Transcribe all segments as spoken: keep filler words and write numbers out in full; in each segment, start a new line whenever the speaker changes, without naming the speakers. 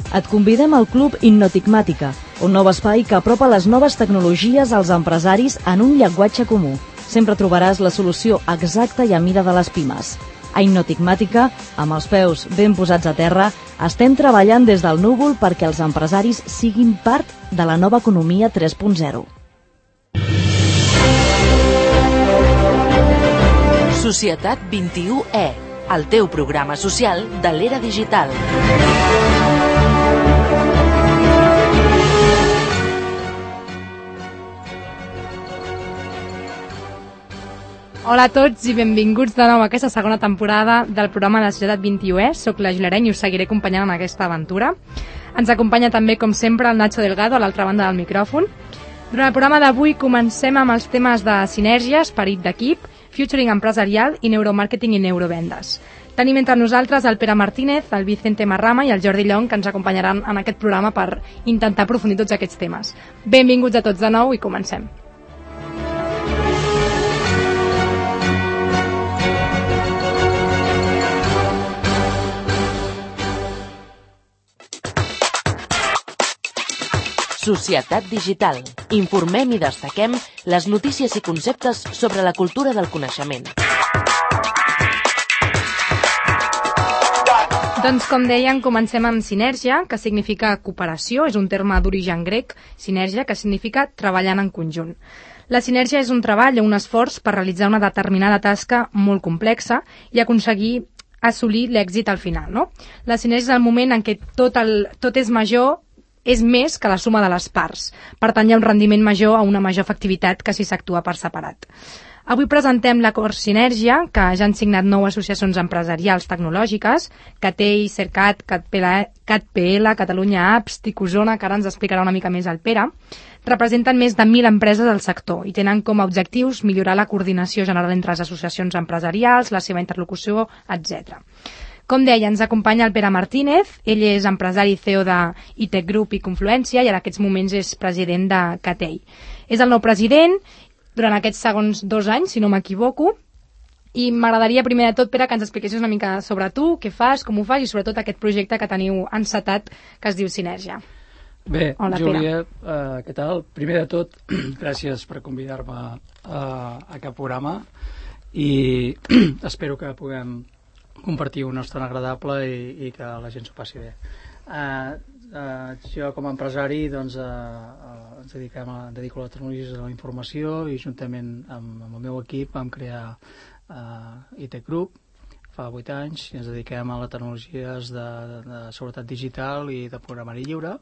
Et convidem al Club Innotigmàtica, un nou espai que apropa les noves tecnologies als empresaris en un llenguatge comú. Sempre trobaràs la solució exacta i a mida de les pimes. A Innotigmàtica, amb els peus ben posats a terra, estem treballant des del núvol perquè els empresaris siguin part de la nova economia tres punt zero.
Societat vint-i-u E, el teu programa social de l'era digital.
Hola a tots i benvinguts de nou a aquesta segona temporada del programa de Societat vint-i-u E. Soc la Julia Areny i us seguiré acompanyant en aquesta aventura. Ens acompanya també, com sempre, el Nacho Delgado a l'altra banda del micròfon. Durant el programa d'avui comencem amb els temes de sinergia, esperit d'equip, futuring empresarial i neuromàrqueting i neurovendes. Tenim entre nosaltres el Pere Martínez, el Vicente Marrama i el Jordi Llong, que ens acompanyaran en aquest programa per intentar aprofundir tots aquests temes. Benvinguts a tots de nou i comencem.
Societat digital. Informem i destaquem les notícies i conceptes sobre la cultura del coneixement.
Doncs, com deien, comencem amb sinergia, que significa cooperació, és un terme d'origen grec, sinergia, que significa treballant en conjunt. La sinergia és un treball o un esforç per realitzar una determinada tasca molt complexa i aconseguir assolir l'èxit al final, no? La sinergia és el moment en què tot, el, tot és major, és més que la suma de les parts. Per tant, hi ha un rendiment major a una major efectivitat que si s'actua per separat. Avui presentem l'acord Sinergia, que ja han signat nou associacions empresarials tecnològiques, CATEI, CERCAT, CatPL, Catalunya Apps, Ticozona, que ara ens explicarà una mica més el Pere. Representen més de mil empreses del sector i tenen com a objectius millorar la coordinació general entre les associacions empresarials, la seva interlocució, etcètera. Com deia, ens acompanya el Pere Martínez. Ell és empresari i C E O de I T Group i Confluència i en aquests moments és president de CATEI. És el nou president durant aquests segons dos anys, si no m'equivoco, i m'agradaria primer de tot, Pere, que ens expliquessis una mica sobre tu, què fas, com ho fas i sobretot aquest projecte que teniu encetat que es diu Sinergia.
Bé,
Hola,
Júlia, uh, què tal? Primer de tot, gràcies per convidar-me a, a aquest programa i espero que puguem compartir una estona agradable i, i que la gent s'ho passi bé. Uh, uh, jo com a empresari doncs, uh, uh, ens dediquem a, dedico a les tecnologies de la informació i juntament amb, amb el meu equip vam crear uh, I T Group fa vuit anys i ens dediquem a les tecnologies de, de, de seguretat digital i de programari lliure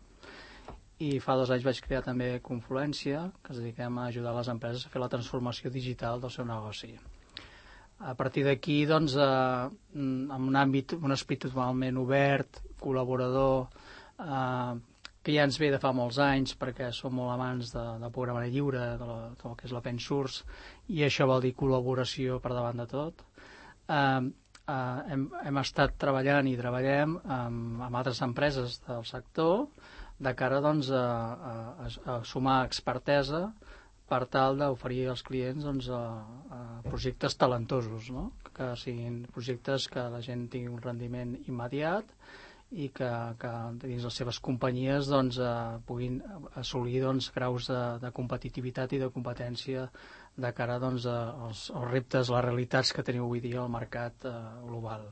i fa dos anys vaig crear també Confluència, que ens dediquem a ajudar les empreses a fer la transformació digital del seu negoci. A partir d'aquí, doncs, eh, en un àmbit, un esperit totalment obert, col·laborador, eh, que ja ens ve de fa molts anys, perquè som molt amants de, del programari lliure, de, la, de el que és l'open source, i això vol dir col·laboració per davant de tot. Eh, eh, hem, hem estat treballant i treballem amb, amb altres empreses del sector de cara doncs, a, a, a sumar expertesa per tal d'oferir als clients doncs, a, a projectes talentosos, no? Que siguin projectes que la gent tingui un rendiment immediat i que, que dins les seves companyies doncs, a, puguin assolir doncs, graus de, de competitivitat i de competència de cara doncs, a, als, als reptes, les realitats que teniu avui dia al mercat eh, global.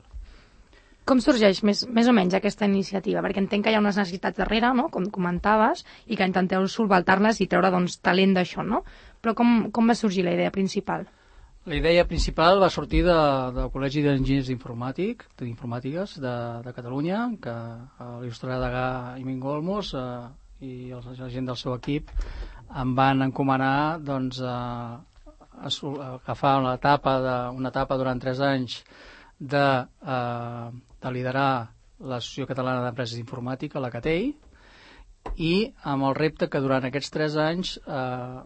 Com sorgeix més, més o menys aquesta iniciativa? Perquè entenc que hi ha unes necessitats darrere, no? Com comentaves, i que intenteu solventar-les i treure doncs, talent d'això, no? Però com, com va sorgir la idea principal?
La idea principal va sortir de, del Col·legi d'Enginyers d'Informàtic, d'Informàtiques de, de Catalunya, que l'il·lustrador Degà i Mingo Olmos eh, i el, la gent del seu equip em van encomanar doncs, a, a, a agafar una etapa, de, una etapa durant tres anys de, eh, de liderar l'Associació Catalana d'Empreses d'Informàtica, la CATEI, i amb el repte que durant aquests tres anys eh,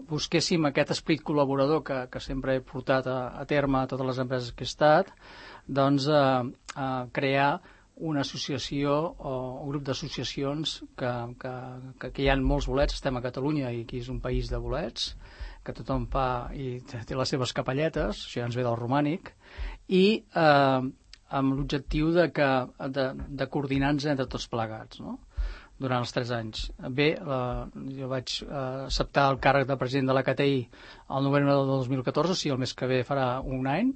busquéssim aquest esperit col·laborador que, que sempre he portat a, a terme a totes les empreses que he estat, doncs eh, eh, crear una associació o un grup d'associacions que, que, que, que hi ha molts bolets, estem a Catalunya i aquí és un país de bolets, que tothom fa i té les seves capelletes, això ja ens ve del romànic, i eh, amb l'objectiu de, que, de, de coordinar-nos entre tots plegats, no? Durant els tres anys. Bé, la, jo vaig eh, acceptar el càrrec de president de la C T I el novembre del dos mil catorze, o sigui, el mes que ve farà un any,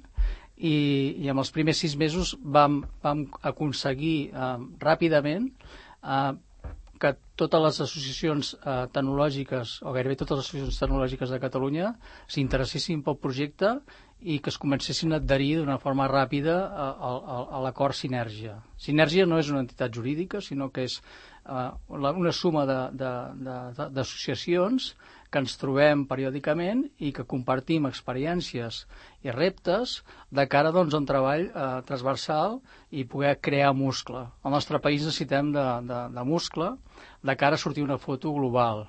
i, i en els primers sis mesos vam, vam aconseguir eh, ràpidament eh, que totes les associacions eh, tecnològiques, o gairebé totes les associacions tecnològiques de Catalunya, s'interessessin pel projecte i que es comencessin a adherir d'una forma ràpida a, a, a l'acord Sinergia. Sinergia no és una entitat jurídica, sinó que és eh, una suma d'associacions que ens trobem periòdicament i que compartim experiències i reptes de cara doncs, a un treball eh, transversal i poder crear muscle. Al nostre país necessitem de, de, de muscle de cara a sortir una foto global.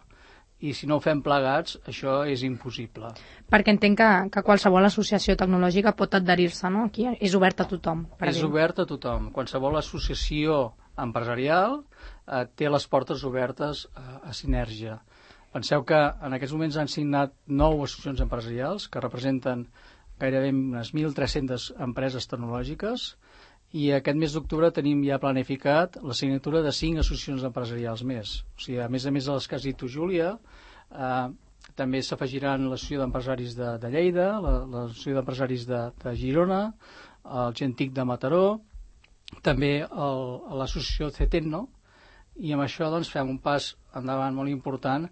I si no ho fem plegats, això és impossible.
Perquè entenc que, que qualsevol associació tecnològica pot adherir-se, no? Aquí és obert a tothom. Per
és dir. obert a tothom. Qualsevol associació empresarial eh, té les portes obertes a, a Sinergia. Penseu que en aquests moments han signat nou associacions empresarials que representen gairebé unes mil tres-centes empreses tecnològiques i aquest mes d'octubre tenim ja planificat la signatura de cinc associacions empresarials més. O sigui, a més a més de les que has dit tu, Júlia, eh, també s'afegiran l'Associació d'Empresaris de, de Lleida, l'Associació d'Empresaris de, de Girona, el Gentic de Mataró, també l'Associació CETECNO, i amb això doncs, fem un pas endavant molt important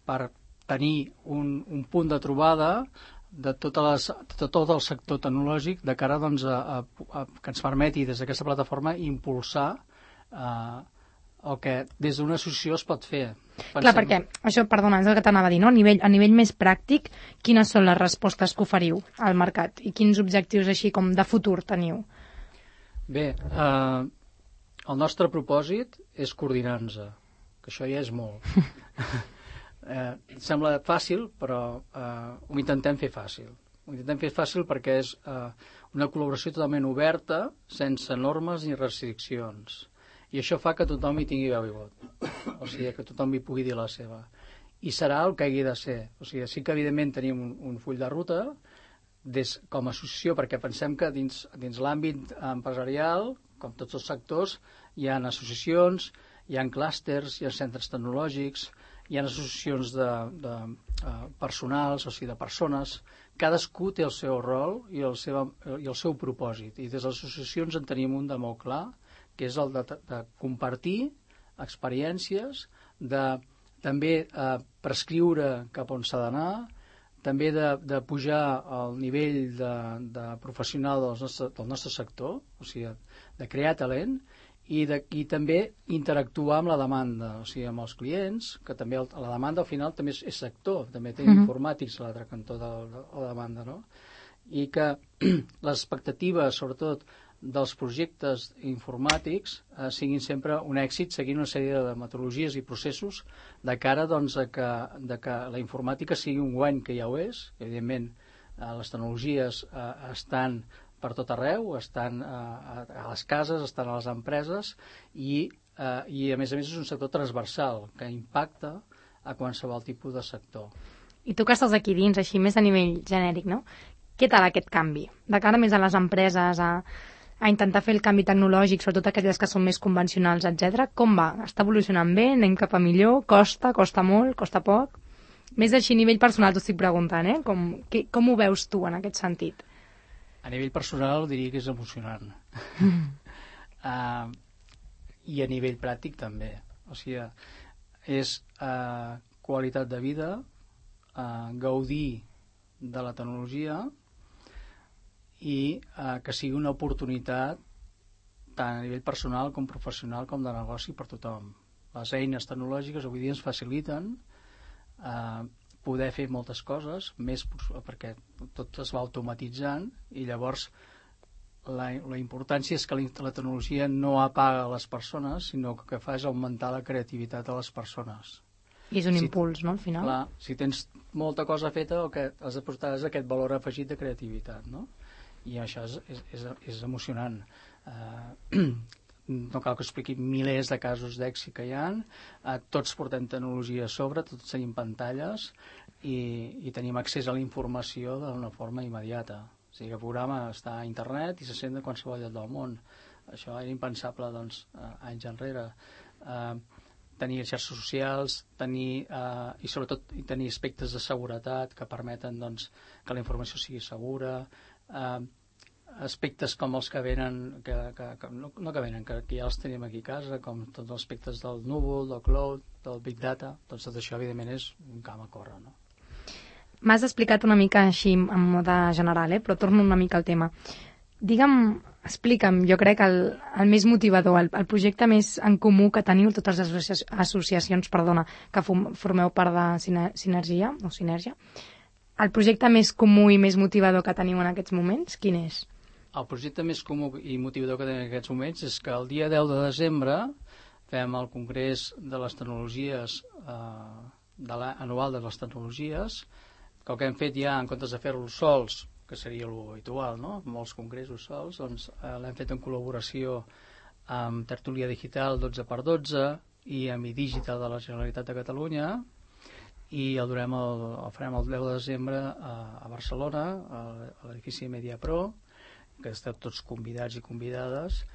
per tenir un, un punt de trobada de, totes les, de tot el sector tecnològic de cara doncs, a, a, a que ens permeti des d'aquesta plataforma impulsar eh, el que des d'una associació es pot fer. Pensem...
Clar, perquè això, perdona, és el que t'anava a dir, no? A nivell, a nivell més pràctic, quines són les respostes que oferiu al mercat i quins objectius així com de futur teniu? Bé,
eh, el nostre propòsit és coordinar-nos, que això ja és molt. Eh, sembla fàcil, però eh, ho intentem fer fàcil. Ho intentem fer fàcil perquè és eh, una col·laboració totalment oberta, sense normes ni restriccions. I això fa que tothom hi tingui veu i vot. O sigui, que tothom hi pugui dir la seva. I serà el que hagi de ser. O sigui, sí que evidentment tenim un, un full de ruta des, com a associació, perquè pensem que dins, dins l'àmbit empresarial, com tots els sectors, hi ha associacions, hi ha clústers, hi ha centres tecnològics, hi ha associacions de, de uh, personals, o sigui, de persones. Cadascú té el seu rol i el, seva, i el seu propòsit. I des de les associacions en tenim un de molt clar, que és el de, de compartir experiències, de també uh, prescriure cap on s'ha d'anar, també de, de pujar al nivell de, de professional del nostre, del nostre sector, o sigui, de crear talent, I, de, i també interactuar amb la demanda, o sigui, amb els clients, que també el, la demanda al final també és, és sector, també té uh-huh. informàtics a l'altre cantó de, de, de la demanda, no? I que les expectatives, sobretot, dels projectes informàtics eh, siguin sempre un èxit, seguint una sèrie de metodologies i processos de cara doncs, a que, de que la informàtica sigui un guany, que ja ho és. Evidentment, eh, les tecnologies eh, estan per tot arreu, estan a, a les cases, estan a les empreses i, eh, i a més a més és un sector transversal que impacta a qualsevol tipus de sector.
I tu que estàs aquí dins, així més a nivell genèric, no? Què tal aquest canvi? De cara més a les empreses, a, a intentar fer el canvi tecnològic, sobretot aquelles que són més convencionals, etcètera. Com va? Està evolucionant bé? Anem cap a millor? Costa? Costa molt? Costa poc? Més així a nivell personal t'ho estic preguntant, eh? Com, que, com ho veus tu en aquest sentit?
A nivell personal diria que és emocionant. Mm. uh, I a nivell pràctic també. O sigui, és uh, qualitat de vida, uh, gaudir de la tecnologia i uh, que sigui una oportunitat tant a nivell personal com professional com de negoci per tothom. Les eines tecnològiques avui dia ens faciliten uh, poder fer moltes coses, més perquè tot es va automatitzant i llavors la, la importància és que la, la tecnologia no apaga les persones, sinó que el que fa és augmentar la creativitat de les persones.
I és un
si,
impuls, no, al final?
Clar, si tens molta cosa feta, el que has de portar és aquest valor afegit de creativitat, no? I això és, és, és, és emocionant. Uh, no cal que expliqui milers de casos d'èxit que hi ha, eh, tots portem tecnologia a sobre, tots tenim pantalles i, i tenim accés a la informació d'una forma immediata. O sigui, el programa està a internet i se sent de qualsevol lloc del món. Això era impensable, doncs, anys enrere. Eh, tenir xarxes socials, tenir, eh, i sobretot tenir aspectes de seguretat que permeten, doncs, que la informació sigui segura, eh, aspectes com els que venen, que, que, que, no, no que venen, que, que ja els tenim aquí a casa, com tots els aspectes del núvol, del cloud, del big data, doncs tot això, evidentment, és un camp a córrer, no?
M'has explicat una mica així en mode general, eh? Però torno una mica al tema. Digue'm, explica'm, jo crec el, el més motivador, el, el projecte més en comú que teniu totes les associa associacions perdona, que formeu part de Sinergia, o Sinergia. El projecte més comú i més motivador que teniu en aquests moments, quin és?
El projecte més comú i motivador que tenim en aquests moments és que el dia deu de desembre fem el Congrés de les Tecnologies, eh, de l'anual de les tecnologies, que el que hem fet ja, en comptes de fer-lo sols, que seria l'habitual, no? Molts congressos sols, doncs eh, l'hem fet en col·laboració amb Tertúlia Digital dotze per dotze i amb iDigital de la Generalitat de Catalunya, i el, durem el, el farem el deu de desembre a, a Barcelona, a, a l'edifici MediaPro, que esteu tots convidats i convidades,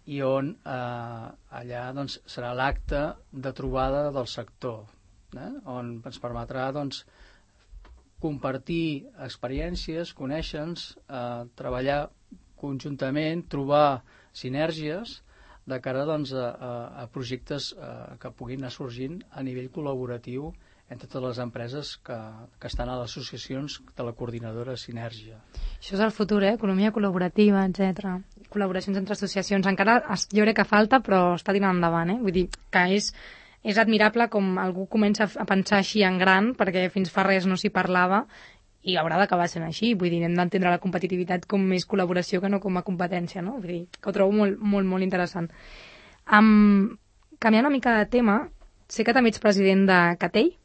i on eh, allà doncs, serà l'acte de trobada del sector, eh? On ens permetrà doncs, compartir experiències, conèixer-nos, eh, treballar conjuntament, trobar sinergies de cara doncs, a, a, a projectes eh, que puguin anar sorgint a nivell col·laboratiu entre totes les empreses que, que estan a les associacions de la coordinadora Sinergia.
Això és el futur, eh? Economia col·laborativa, etcètera. Col·laboracions entre associacions. Encara jo crec que falta, però està tirant endavant, eh? Vull dir que és, és admirable com algú comença a pensar així en gran, perquè fins fa res no s'hi parlava, i haurà d'acabar sent així. Vull dir, hem d'entendre la competitivitat com més col·laboració que no com a competència, no? Vull dir, que ho trobo molt, molt, molt interessant. Um, canviant una mica de tema, sé que també ets president de Catell.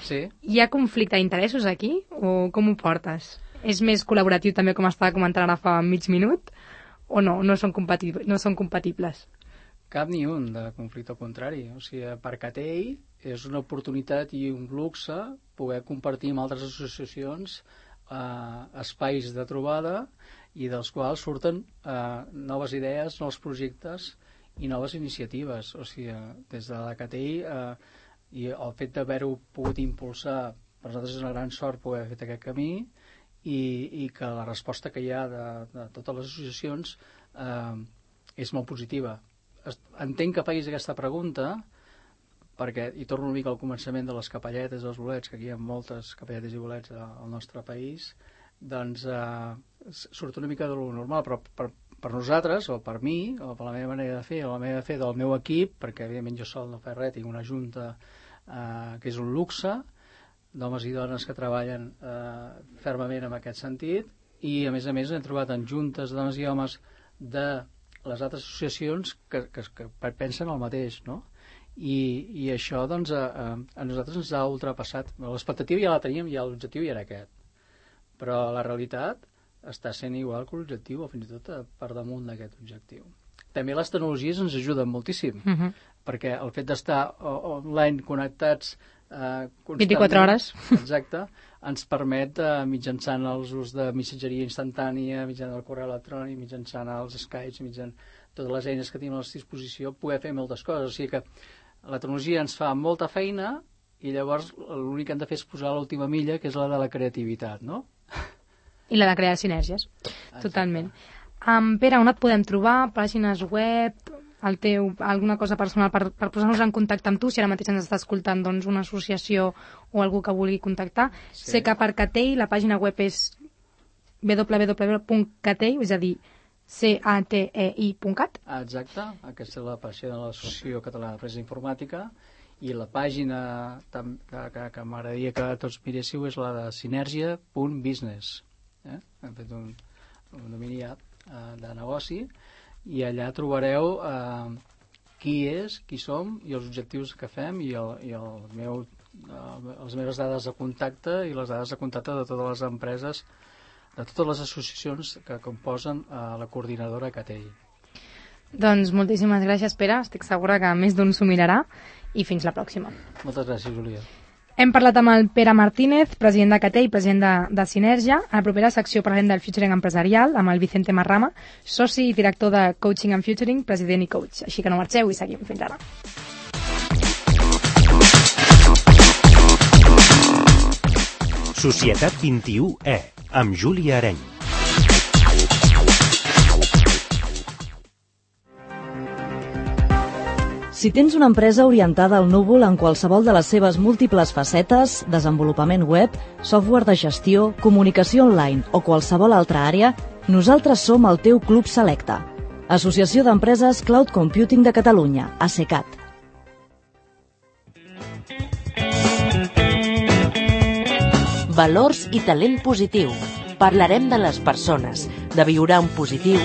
Sí.
Hi ha conflicte d'interessos aquí o com ho portes? És més col·laboratiu també, com estava comentant ara fa mig minut, o no? No són compatibles? No són compatibles?
Cap ni un de conflicte, al contrari. O sigui, per Catell és una oportunitat i un luxe poder compartir amb altres associacions eh, espais de trobada i dels quals surten eh, noves idees, nous projectes i noves iniciatives. O sigui, des de la Catell eh, i el fet d'haver-ho pogut impulsar, per nosaltres és una gran sort poder haver fet aquest camí, i, i que la resposta que hi ha de, de totes les associacions eh, és molt positiva. Entenc que facis aquesta pregunta perquè, i torno una mica al començament de les capelletes, dels bolets, que aquí hi ha moltes capelletes i bolets al nostre país, doncs eh, surt una mica de lo normal, però per, per nosaltres, o per mi, o per la meva manera de fer, o la manera de fer del meu equip, perquè evidentment jo sol no faig res, tinc una junta eh, que és un luxe, d'homes i dones que treballen eh, fermament en aquest sentit, i a més a més hem trobat en juntes de dones i homes de les altres associacions que, que, que pensen el mateix, no? I, i això doncs a, a nosaltres ens ha ultrapassat. L'expectativa ja la teníem, ja l'objectiu ja era aquest, però la realitat està sent igual que l'objectiu, o fins i tot per damunt d'aquest objectiu. També les tecnologies ens ajuden moltíssim, uh-huh. perquè el fet d'estar online connectats eh,
vint-i-quatre hores,
exacte, ens permet, eh, mitjançant els ús de missatgeria instantània, mitjançant el correu electrònic, mitjançant els Skypes, mitjançant totes les eines que tenim a la disposició, poder fer moltes coses. O sigui que la tecnologia ens fa molta feina i llavors l'únic que hem de fer és posar l'última milla, que és la de la creativitat, no?
I la de crear sinergies, exacte. Totalment. Um, Pere, on et podem trobar? Pàgines web, el teu, alguna cosa personal per, per posar-nos en contacte amb tu, si ara mateix ens està escoltant doncs, una associació o algú que vulgui contactar. Sí. Sé que per Catell la pàgina web és w w w punt catell, és a dir, c a t e i punt cat.
Exacte, aquesta és la pàgina de l'Associació Catalana d'Empresa Informàtica, i la pàgina que, que, que m'agradaria que tots miréssiu és la de sinergia punt business. Eh? Hem fet un, un domini eh, de negoci, i allà trobareu eh, qui és, qui som i els objectius que fem i, el, i el meu, eh, les meves dades de contacte i les dades de contacte de totes les empreses, de totes les associacions que composen eh, la coordinadora Catell.
Doncs moltíssimes gràcies, Pere. Estic segura que més d'un s'ho mirarà, i fins la pròxima.
Moltes gràcies, Júlia.
Hem parlat amb el Pere Martínez, president de C A T E i president de, de Sinergia. A la propera secció parlarem del Futuring empresarial amb el Vicente Marrama, soci i director de Coaching and Futuring, president i coach. Així que no marxeu i seguim. Fins ara.
Societat vint-i-u E, amb Júlia Areny.
Si tens una empresa orientada al núvol en qualsevol de les seves múltiples facetes, desenvolupament web, software de gestió, comunicació online o qualsevol altra àrea, nosaltres som el teu club selecte. Associació d'Empreses Cloud Computing de Catalunya, ASECAT.
Valors i talent positiu. Parlarem de les persones, de viure en positiu.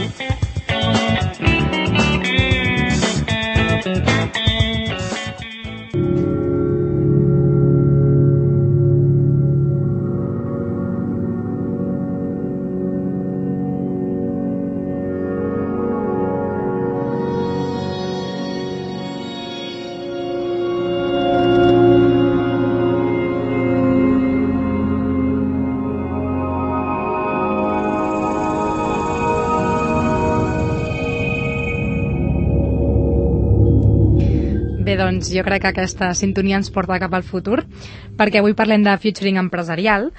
Bé, doncs jo crec que aquesta sintonia ens porta cap al futur, perquè avui parlem de Futuring empresarial.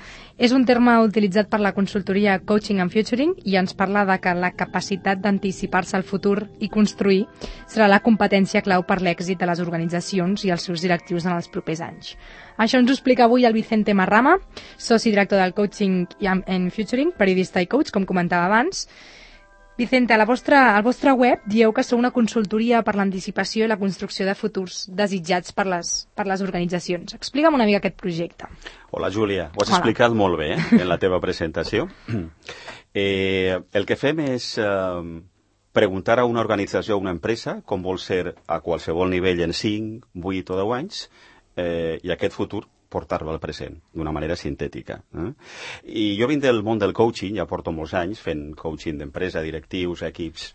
És un terme utilitzat per la consultoria Coaching and Futuring i ens parla de que la capacitat d'anticipar-se al futur i construir serà la competència clau per l'èxit de les organitzacions i els seus directius en els propers anys. Això ens ho explica avui el Vicente Marrama, soci director del Coaching and Futuring, periodista i coach, com comentava abans. Vicente, a la vostra, al vostre web dieu que sou una consultoria per l'anticipació i la construcció de futurs desitjats per les, per les organitzacions. Explica'm una mica aquest projecte.
Hola, Júlia. Ho has
Hola.
explicat molt bé, eh, en la teva presentació. Eh, el que fem és eh, preguntar a una organització, a una empresa, com vol ser a qualsevol nivell en cinc, vuit o deu anys, eh, i aquest futur portar-lo al present, d'una manera sintètica. Eh? I jo vinc del món del coaching, ja porto molts anys fent coaching d'empresa, directius, equips,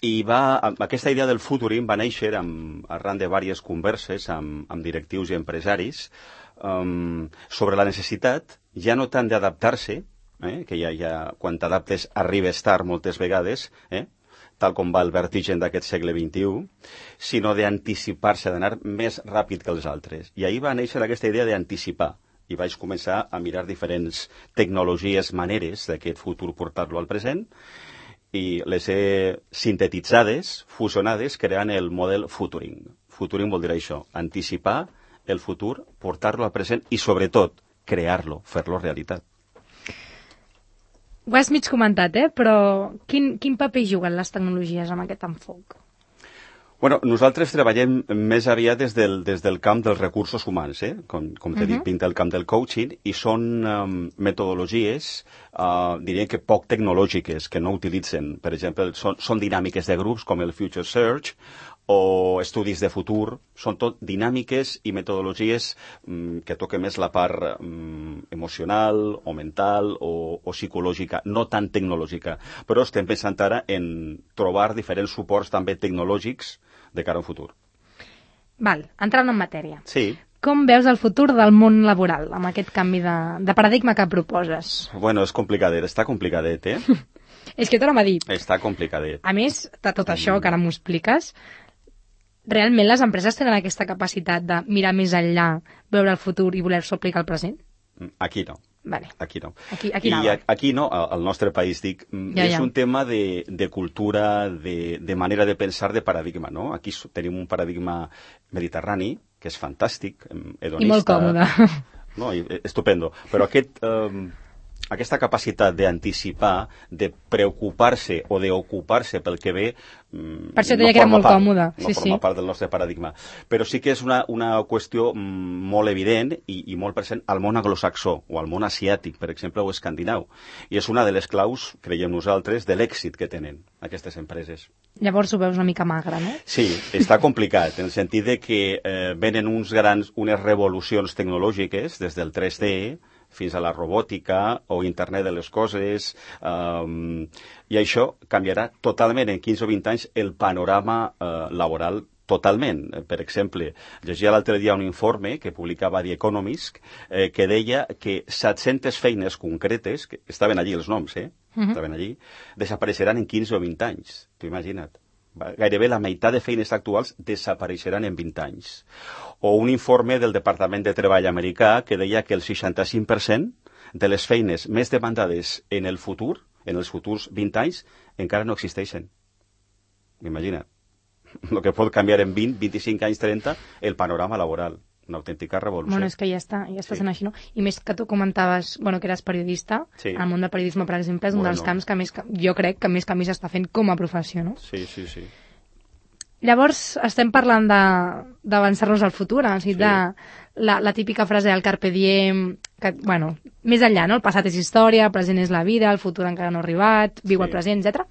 i va, aquesta idea del futuring va néixer amb, arran de diverses converses amb, amb directius i empresaris um, sobre la necessitat, ja no tant d'adaptar-se, eh, que ja, ja quan t'adaptes arribes tard moltes vegades, eh, tal com va el vertigen d'aquest segle vint-i-u, sinó d'anticipar-se, d'anar més ràpid que els altres. I ahir va néixer aquesta idea d'anticipar. I vaig començar a mirar diferents tecnologies, maneres d'aquest futur portar-lo al present, i les he sintetitzades, fusionades, creant el model Futuring. Futuring vol dir això, anticipar el futur, portar-lo al present i, sobretot, crear-lo, fer-lo realitat.
Ho has mig comentat, eh? Però quin, quin paper juguen les tecnologies amb aquest enfoc?
Bueno, nosaltres treballem més aviat des del, des del camp dels recursos humans, eh? com, com t'he uh-huh. dit, vinc del camp del coaching, i són um, metodologies, uh, diria que poc tecnològiques, que no utilitzen. Per exemple, són, són dinàmiques de grups com el Future Search, o estudis de futur, són tot dinàmiques i metodologies mm, que toquen més la part mm, emocional o mental o, o psicològica, no tan tecnològica. Però estem pensant ara en trobar diferents suports també tecnològics de cara al futur.
Val, entrant en matèria.
Sí.
Com veus el futur del món laboral amb aquest canvi de, de paradigma que proposes?
Bueno, és complicadet, està complicadet, eh?
És que tornem a dir.
Està complicadet.
A més de tot això que ara m'ho expliques, realment les empreses tenen aquesta capacitat de mirar més enllà, veure el futur i voler-s'ho aplicar al present?
Aquí no.
Vale.
Aquí no.
Aquí, aquí,
I aquí no, al nostre país, dic, ja, és ja. un tema de, de cultura, de, de manera de pensar, de paradigma, no? Aquí tenim un paradigma mediterrani, que és fantàstic, hedonista.
I molt còmode.
No, estupendo. Però aquest... Um, aquesta capacitat d'anticipar, de preocupar-se o d'ocupar-se pel que ve,
per això deia no que era molt part, còmode.
No
sí,
forma
sí.
part del nostre paradigma. Però sí que és una, una qüestió molt evident i, i molt present al món anglosaxó o al món asiàtic, per exemple, o escandinau. I és una de les claus, creiem nosaltres, de l'èxit que tenen aquestes empreses.
Llavors ho veus una mica magre, no?
Sí, està complicat, en el sentit de que eh, venen uns grans, unes revolucions tecnològiques des del tres D fins a la robòtica o internet de les coses, um, i això canviarà totalment en quinze o vint anys el panorama uh, laboral totalment. Per exemple, llegia l'altre dia un informe que publicava The Economist eh, que deia que set-centes feines concretes, que estaven allí els noms, eh? Uh-huh. Estaven allí, desapareixeran en quinze o vint anys. T'ho imagina't. Gairebé la meitat de feines actuals desapareixeran en vint anys. O un informe del Departament de Treball americà que deia que el seixanta-cinc per cent de les feines més demandades en el futur, en els futurs vint anys, encara no existeixen. Imagina't. El que pot canviar en vint, vint-i-cinc anys, trenta, el panorama laboral. Una autèntica revolució.
Bueno, és que ja està, ja està
Sí.
sent així, no? I més que tu comentaves, bueno, que eres periodista,
Sí.
el món del periodisme, per exemple, és un
Bueno.
dels camps que més, jo crec que més canvis està fent com a professió, no?
Sí, sí, sí.
Llavors, estem parlant de- d'avançar-nos al futur, o sigui,
Sí.
de la, la típica frase del Carpe Diem, que, bueno, més enllà, no? El passat és història, el present és la vida, el futur encara no ha arribat, viu
Sí.
el present, etcètera.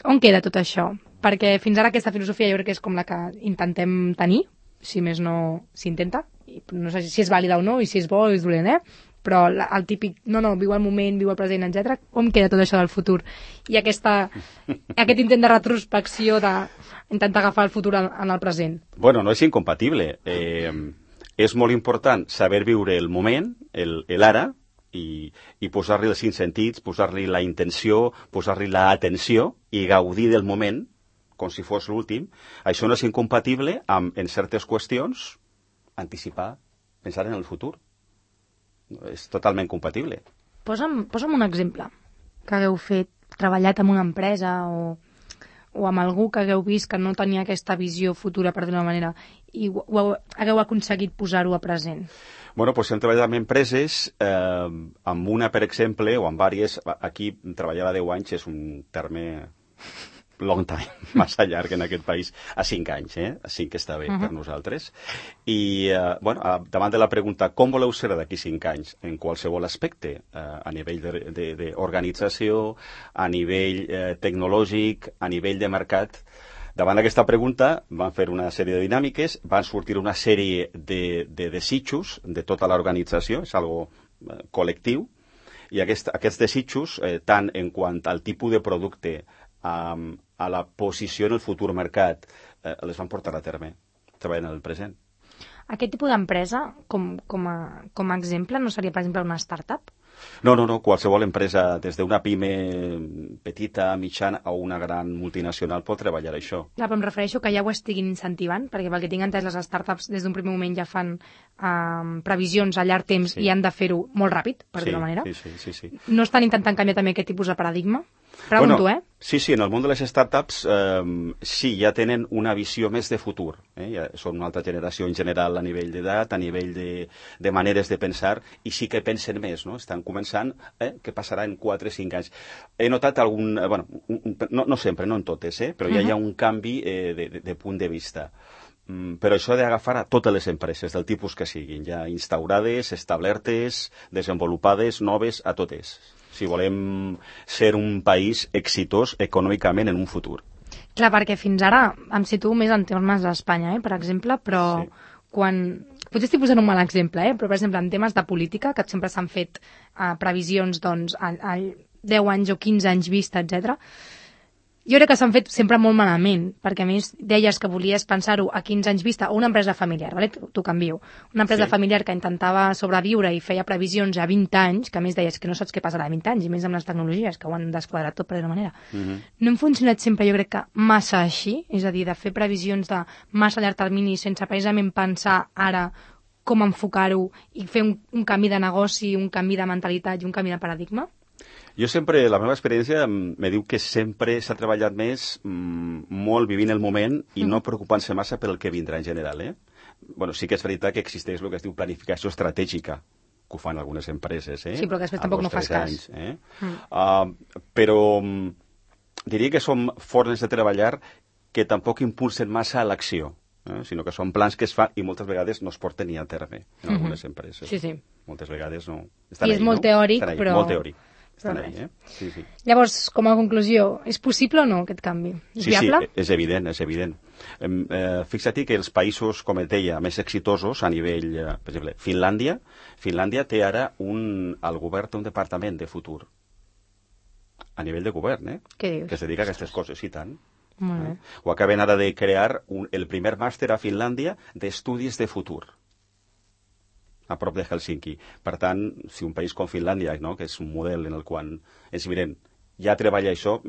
On queda tot això? Perquè fins ara aquesta filosofia jo crec que és com la que intentem tenir, si més no s'intenta, i no sé si és vàlida o no, i si és bo o és dolent, eh? Però la, el típic, no, no, viu el moment, viu el present, etcètera. On queda tot això del futur? I aquesta, aquest intent de retrospecció d'intentar agafar el futur en, en el present.
Bueno, no és incompatible. Eh, és molt important saber viure el moment, el, el ara, i, i posar-li els cinc sentits, posar-li la intenció, posar-li l'atenció i gaudir del moment com si fos l'últim. Això no és incompatible amb, en certes qüestions, anticipar, pensar en el futur. És totalment compatible.
Posa'm, posa'm un exemple que hagueu fet, treballat en una empresa o, o amb algú que hagueu vist que no tenia aquesta visió futura, per dir-ho d'una manera, i ho, ho hagueu aconseguit posar-ho a present.
Bueno, doncs hem treballat amb empreses, eh, amb una, per exemple, o amb diverses. Aquí treballar a deu anys és un terme long time, massa llarg en aquest país, a cinc anys, eh? A cinc està bé uh-huh. per nosaltres. I, eh, bueno, davant de la pregunta com voleu ser d'aquí cinc anys, en qualsevol aspecte, eh, a nivell d'organització, a nivell eh, tecnològic, a nivell de mercat, davant d'aquesta pregunta van fer una sèrie de dinàmiques, van sortir una sèrie de, de desitjos de tota l'organització, és algo eh, col·lectiu, i aquest, aquests desitjos, eh, tant en quant al tipus de producte, a, a la posició en el futur mercat, eh, les van portar a terme, treballant en el present.
Aquest tipus d'empresa, com, com, a, com a exemple, no seria, per exemple, una startup?
No, no, no. Qualsevol empresa, des d'una pime petita, mitjana o una gran multinacional pot treballar això.
Clar, però em refereixo que ja ho estiguin incentivant, perquè pel que tinc entès, les startups des d'un primer moment ja fan um, previsions a llarg temps
Sí.
i han de fer-ho molt ràpid, per
sí,
dir-ho manera.
Sí, sí, sí, sí.
No estan intentant canviar també aquest tipus de paradigma? Pregunto,
bueno,
eh?
Sí, sí, en el món de les startups eh, sí, ja tenen una visió més de futur. Eh? Ja són una altra generació en general a nivell d'edat, a nivell de, de maneres de pensar, i sí que pensen més, no? Estan començant, eh? Què passarà en quatre o cinc anys. He notat algun... Eh, bueno, un, un, no, no sempre, no en totes, eh? Però ja uh-huh. hi ha un canvi eh, de, de, de punt de vista. Mm, però això ha d'agafar a totes les empreses, del tipus que siguin, ja instaurades, establertes, desenvolupades, noves, a totes, si volem ser un país exitós econòmicament en un futur.
Clar, perquè fins ara em situo més en termes d'Espanya, eh, per exemple, però sí. quan... Potser estic posant un mal exemple, eh, però per exemple en temes de política, que sempre s'han fet uh, previsions doncs, a, a deu anys o quinze anys vista, etcètera. Jo crec que s'han fet sempre molt malament, perquè a més deies que volies pensar-ho a quinze anys vista, o una empresa familiar, vale? t'ho canvio. Una empresa sí. familiar que intentava sobreviure i feia previsions a vint anys, que a més deies que no saps què passarà a vint anys, i més amb les tecnologies, que ho han desquadrat tot per d'una manera. Uh-huh. No hem funcionat sempre, jo crec que massa així, és a dir, de fer previsions de massa llarg termini sense precisament pensar ara com enfocar-ho i fer un, un canvi de negoci, un canvi de mentalitat i un canvi de paradigma?
Jo sempre, la meva experiència me diu que sempre s'ha treballat més mm, molt vivint el moment i mm. no preocupant-se massa per el que vindrà en general. Eh? Bueno, sí que és veritat que existeix el que es diu planificació estratègica, que ho fan algunes empreses. Eh?
Sí, però que després tampoc no fas cas.
Anys, eh? mm. uh, però um, diria que som fornes de treballar que tampoc impulsen massa a l'acció, eh? sinó que són plans que es fan i moltes vegades no es porten ni a terme en mm-hmm. algunes empreses.
Sí, sí.
Moltes vegades no. Estan
I és
ahí,
molt
no?
teòric,
Estan ahí,
però...
Molt teòric. Estan ahí, eh? Sí, sí.
Llavors, com a conclusió, és possible o no aquest canvi? És
sí,
viable?
Sí, és evident, és evident. Eh, fixa't que els països, com et deia, més exitosos a nivell, eh, per exemple, Finlàndia, Finlàndia té ara un, al govern té un departament de futur. A nivell de govern, eh?
Què dius?
Que es dedica a aquestes coses, i tant.
Molt bé.
Eh? O acaben ara de crear un, el primer màster a Finlàndia d'estudis de futur, a prop de Helsinki. Per tant, si un país com Finlàndia, no?, que és un model en el qual és evident, ja treballa això,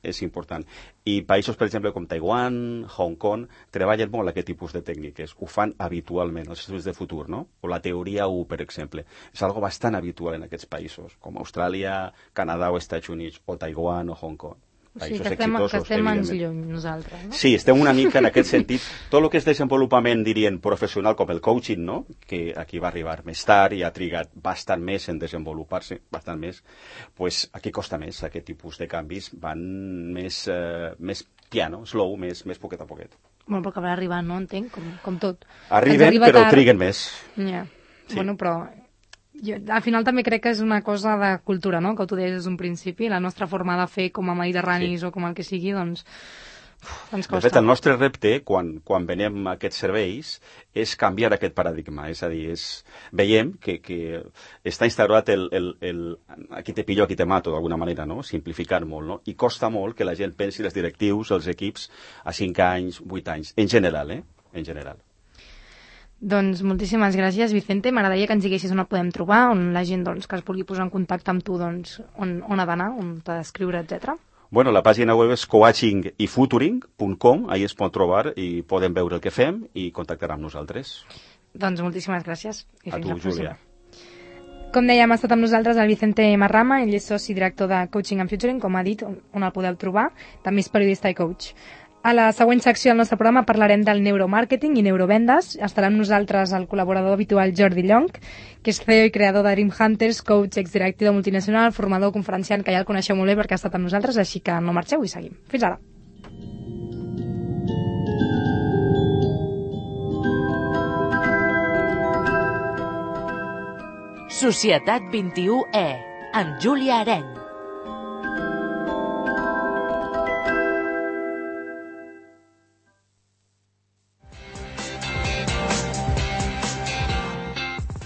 és important. I països, per exemple, com Taiwan, Hong Kong, treballen molt aquest tipus de tècniques. Ho fan habitualment, els estudis de futur, no? O la teoria u, per exemple. És algo bastant habitual en aquests països, com Austràlia, Canadà o Estats Units, o Taiwan o Hong Kong.
O sigui, que estem, que estem ens lluny nosaltres, no?
Sí, estem una mica en aquest sentit. Tot el que és desenvolupament, dirien, professional, com el coaching, no?, que aquí va arribar més tard i ha trigat bastant més en desenvolupar-se, bastant més, pues aquí costa més, aquest tipus de canvis van més, eh, més piano, slow, més, més poquet a poquet.
Bueno, però acabarà arribant, no? Entenc, com, com tot.
Arriben, però tard... triguen més.
Ja, sí. Bueno, però... Jo, al final també crec que és una cosa de cultura, no?, que tu deies des d'un principi, la nostra forma de fer com a mediterranis sí. o com el que sigui, doncs uf, ens costa.
De fet, el nostre repte, quan, quan venem aquests serveis, és canviar aquest paradigma, és a dir, és, veiem que, que està instaurat el, el, el aquí te pillo, aquí te mato, d'alguna manera, no?, simplificar molt, no?, i costa molt que la gent pensi, els directius, els equips, a cinc anys, vuit anys, en general, eh?, en general.
Doncs moltíssimes gràcies, Vicente. M'agradaria que ens diguessis on et podem trobar, on la gent doncs, que es vulgui posar en contacte amb tu, doncs, on, on ha d'anar, on t'ha d'escriure, etcètera.
Bueno, la pàgina web és coaching i futuring punt com, ahí es pot trobar i poden veure el que fem i contactar amb nosaltres.
Doncs moltíssimes gràcies. I
a tu, Júlia.
Com dèiem, ha estat amb nosaltres el Vicente Marrama, ell és soci director de Coaching and Futuring, com ha dit, on, on el podeu trobar. També és periodista i coach. A la següent secció del nostre programa parlarem del neuromàrqueting i neurovendes. Estarà amb nosaltres el col·laborador habitual Jordi Llong, que és C E O i creador de Dream Hunters, coach, exdirectiu de multinacional, formador, conferenciant, que ja el coneixeu molt bé perquè ha estat amb nosaltres, així que no marxeu i seguim. Fins ara.
Societat vint-i-u E, amb Júlia Areny.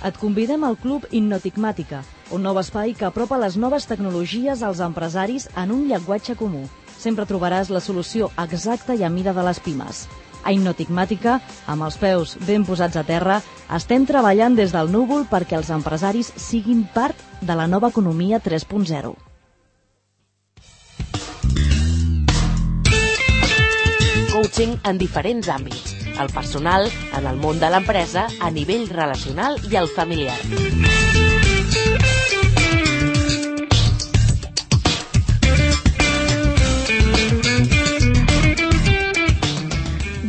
Et convidem al Club Innotigmàtica, un nou espai que apropa les noves tecnologies als empresaris en un llenguatge comú. Sempre trobaràs la solució exacta i a mida de les pimes. A Innotigmàtica, amb els peus ben posats a terra, estem treballant des del núvol perquè els empresaris siguin part de la nova economia tres punt zero.
Coaching en diferents àmbits. El personal, en el món de l'empresa, a nivell relacional i el familiar.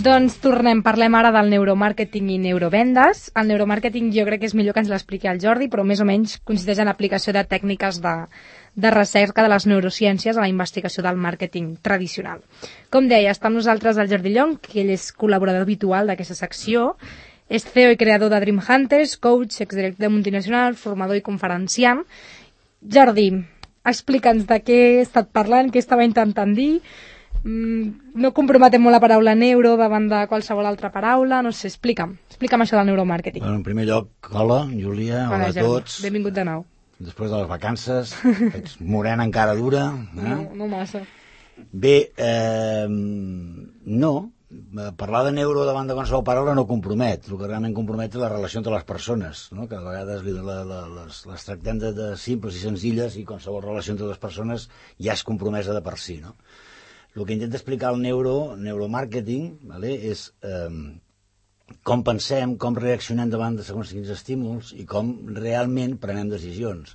Doncs tornem, parlem ara del neuromàrqueting i neurovendes. El neuromàrqueting jo crec que és millor que ens l'expliqui el Jordi, però més o menys consisteix en l'aplicació de tècniques de, de recerca de les neurociències a la investigació del màrqueting tradicional. Com deia, està amb nosaltres el Jordi Llong, que ell és col·laborador habitual d'aquesta secció, és C E O i creador de Dream Hunters, coach, exdirector de multinacional, formador i conferenciant. Jordi, explica'ns de què he estat parlant, què estava intentant dir. No comprometem molt la paraula neuro davant de qualsevol altra paraula, no sé, explica'm, explica'm això del neuromàrqueting.
Bueno, en primer lloc, hola, Júlia, hola, hola a tots.
Benvingut de nou.
Després de les vacances, ets morena encara dura. Eh?
No, no massa.
Bé, eh, no, parlar de neuro davant de qualsevol paraula no compromet, el que realment compromet és la relació entre les persones, no? Que a vegades la, la, les, les tractem de, de simples i senzilles i qualsevol relació entre les persones ja és compromesa de per si, no? El que intenta explicar el neuro, neuromàrqueting, vale, és eh, com pensem, com reaccionem davant de segons quins estímuls i com realment prenem decisions.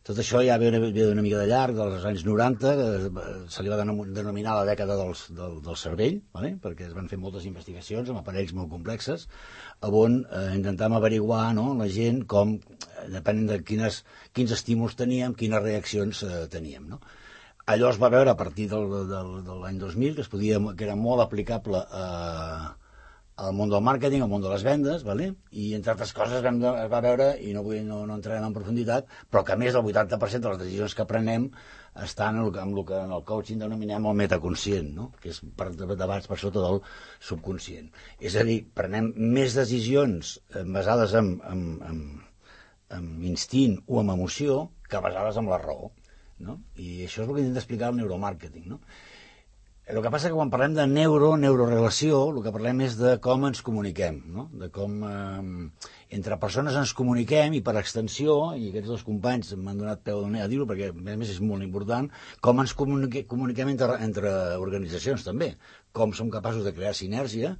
Tot això ja ve una, ve una mica de llarg, dels anys noranta, que se li va denominar la dècada dels, del, del cervell, vale, perquè es van fer moltes investigacions amb aparells molt complexes, on eh, intentàvem averiguar, no, la gent com, depenent de quines, quins estímuls teníem, quines reaccions eh, teníem, no? Allò es va veure a partir del, del, de l'any dos mil, que, es podia, que era molt aplicable a, al món del màrqueting, al món de les vendes, vale? I entre altres coses vam, es va veure, i no, vull, no, no entrarem en profunditat, però que a més del vuitanta per cent de les decisions que prenem estan en el, en el que en el coaching denominem el metaconscient, no? Que és per debats per sota del subconscient. És a dir, prenem més decisions basades en, en, en, en instint o en emoció que basades en la raó. No? I això és el que intenta explicar el neuromàrqueting, no? El que passa que quan parlem de neuro, neurorelació, el que parlem és de com ens comuniquem, no? De com eh, entre persones ens comuniquem i per extensió, i aquests dos companys m'han donat peu a dir-ho perquè a més és molt important, com ens comunique, comuniquem entre, entre organitzacions també, com som capaços de crear sinergia,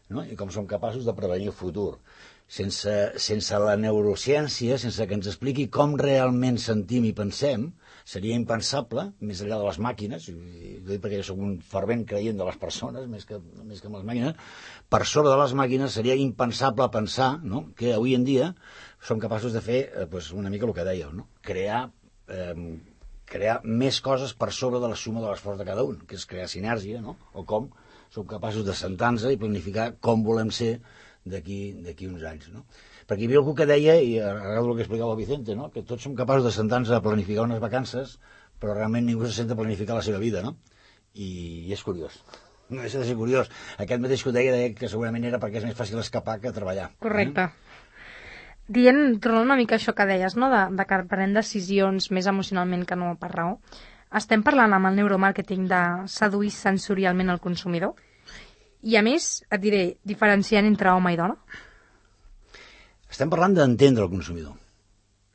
no? I com som capaços de prevenir el futur. Sense, sense la neurociència, sense que ens expliqui com realment sentim i pensem, seria impensable, més enllà de les màquines, i ho dic perquè jo soc un fervent creient de les persones, més que, més que amb les màquines, per sobre de les màquines seria impensable pensar, no?, que avui en dia som capaços de fer eh, pues una mica el que dèieu, no? crear, eh, crear més coses per sobre de la suma de l'esforç de cada un, que és crear sinergia, no? O com som capaços de sentar-nos i planificar com volem ser d'aquí d'aquí uns anys, no? Perquè hi havia algú que deia, i arreglo el que explicava el Vicente, no?, que tots som capaços de sentar-nos a planificar unes vacances, però realment ningú se sent a planificar la seva vida, no? I, i és curiós. No deixa de ser curiós. Aquest mateix que ho deia, deia que segurament era perquè és més fàcil escapar que treballar.
Correcte. Eh? Dient, tornant una mica això que deies, no?, de, de que prenent decisions més emocionalment que no per raó, estem parlant amb el neuromàrqueting de seduir sensorialment el consumidor? I a més, et diré, diferenciant entre home i dona?
Estem parlant d'entendre el consumidor.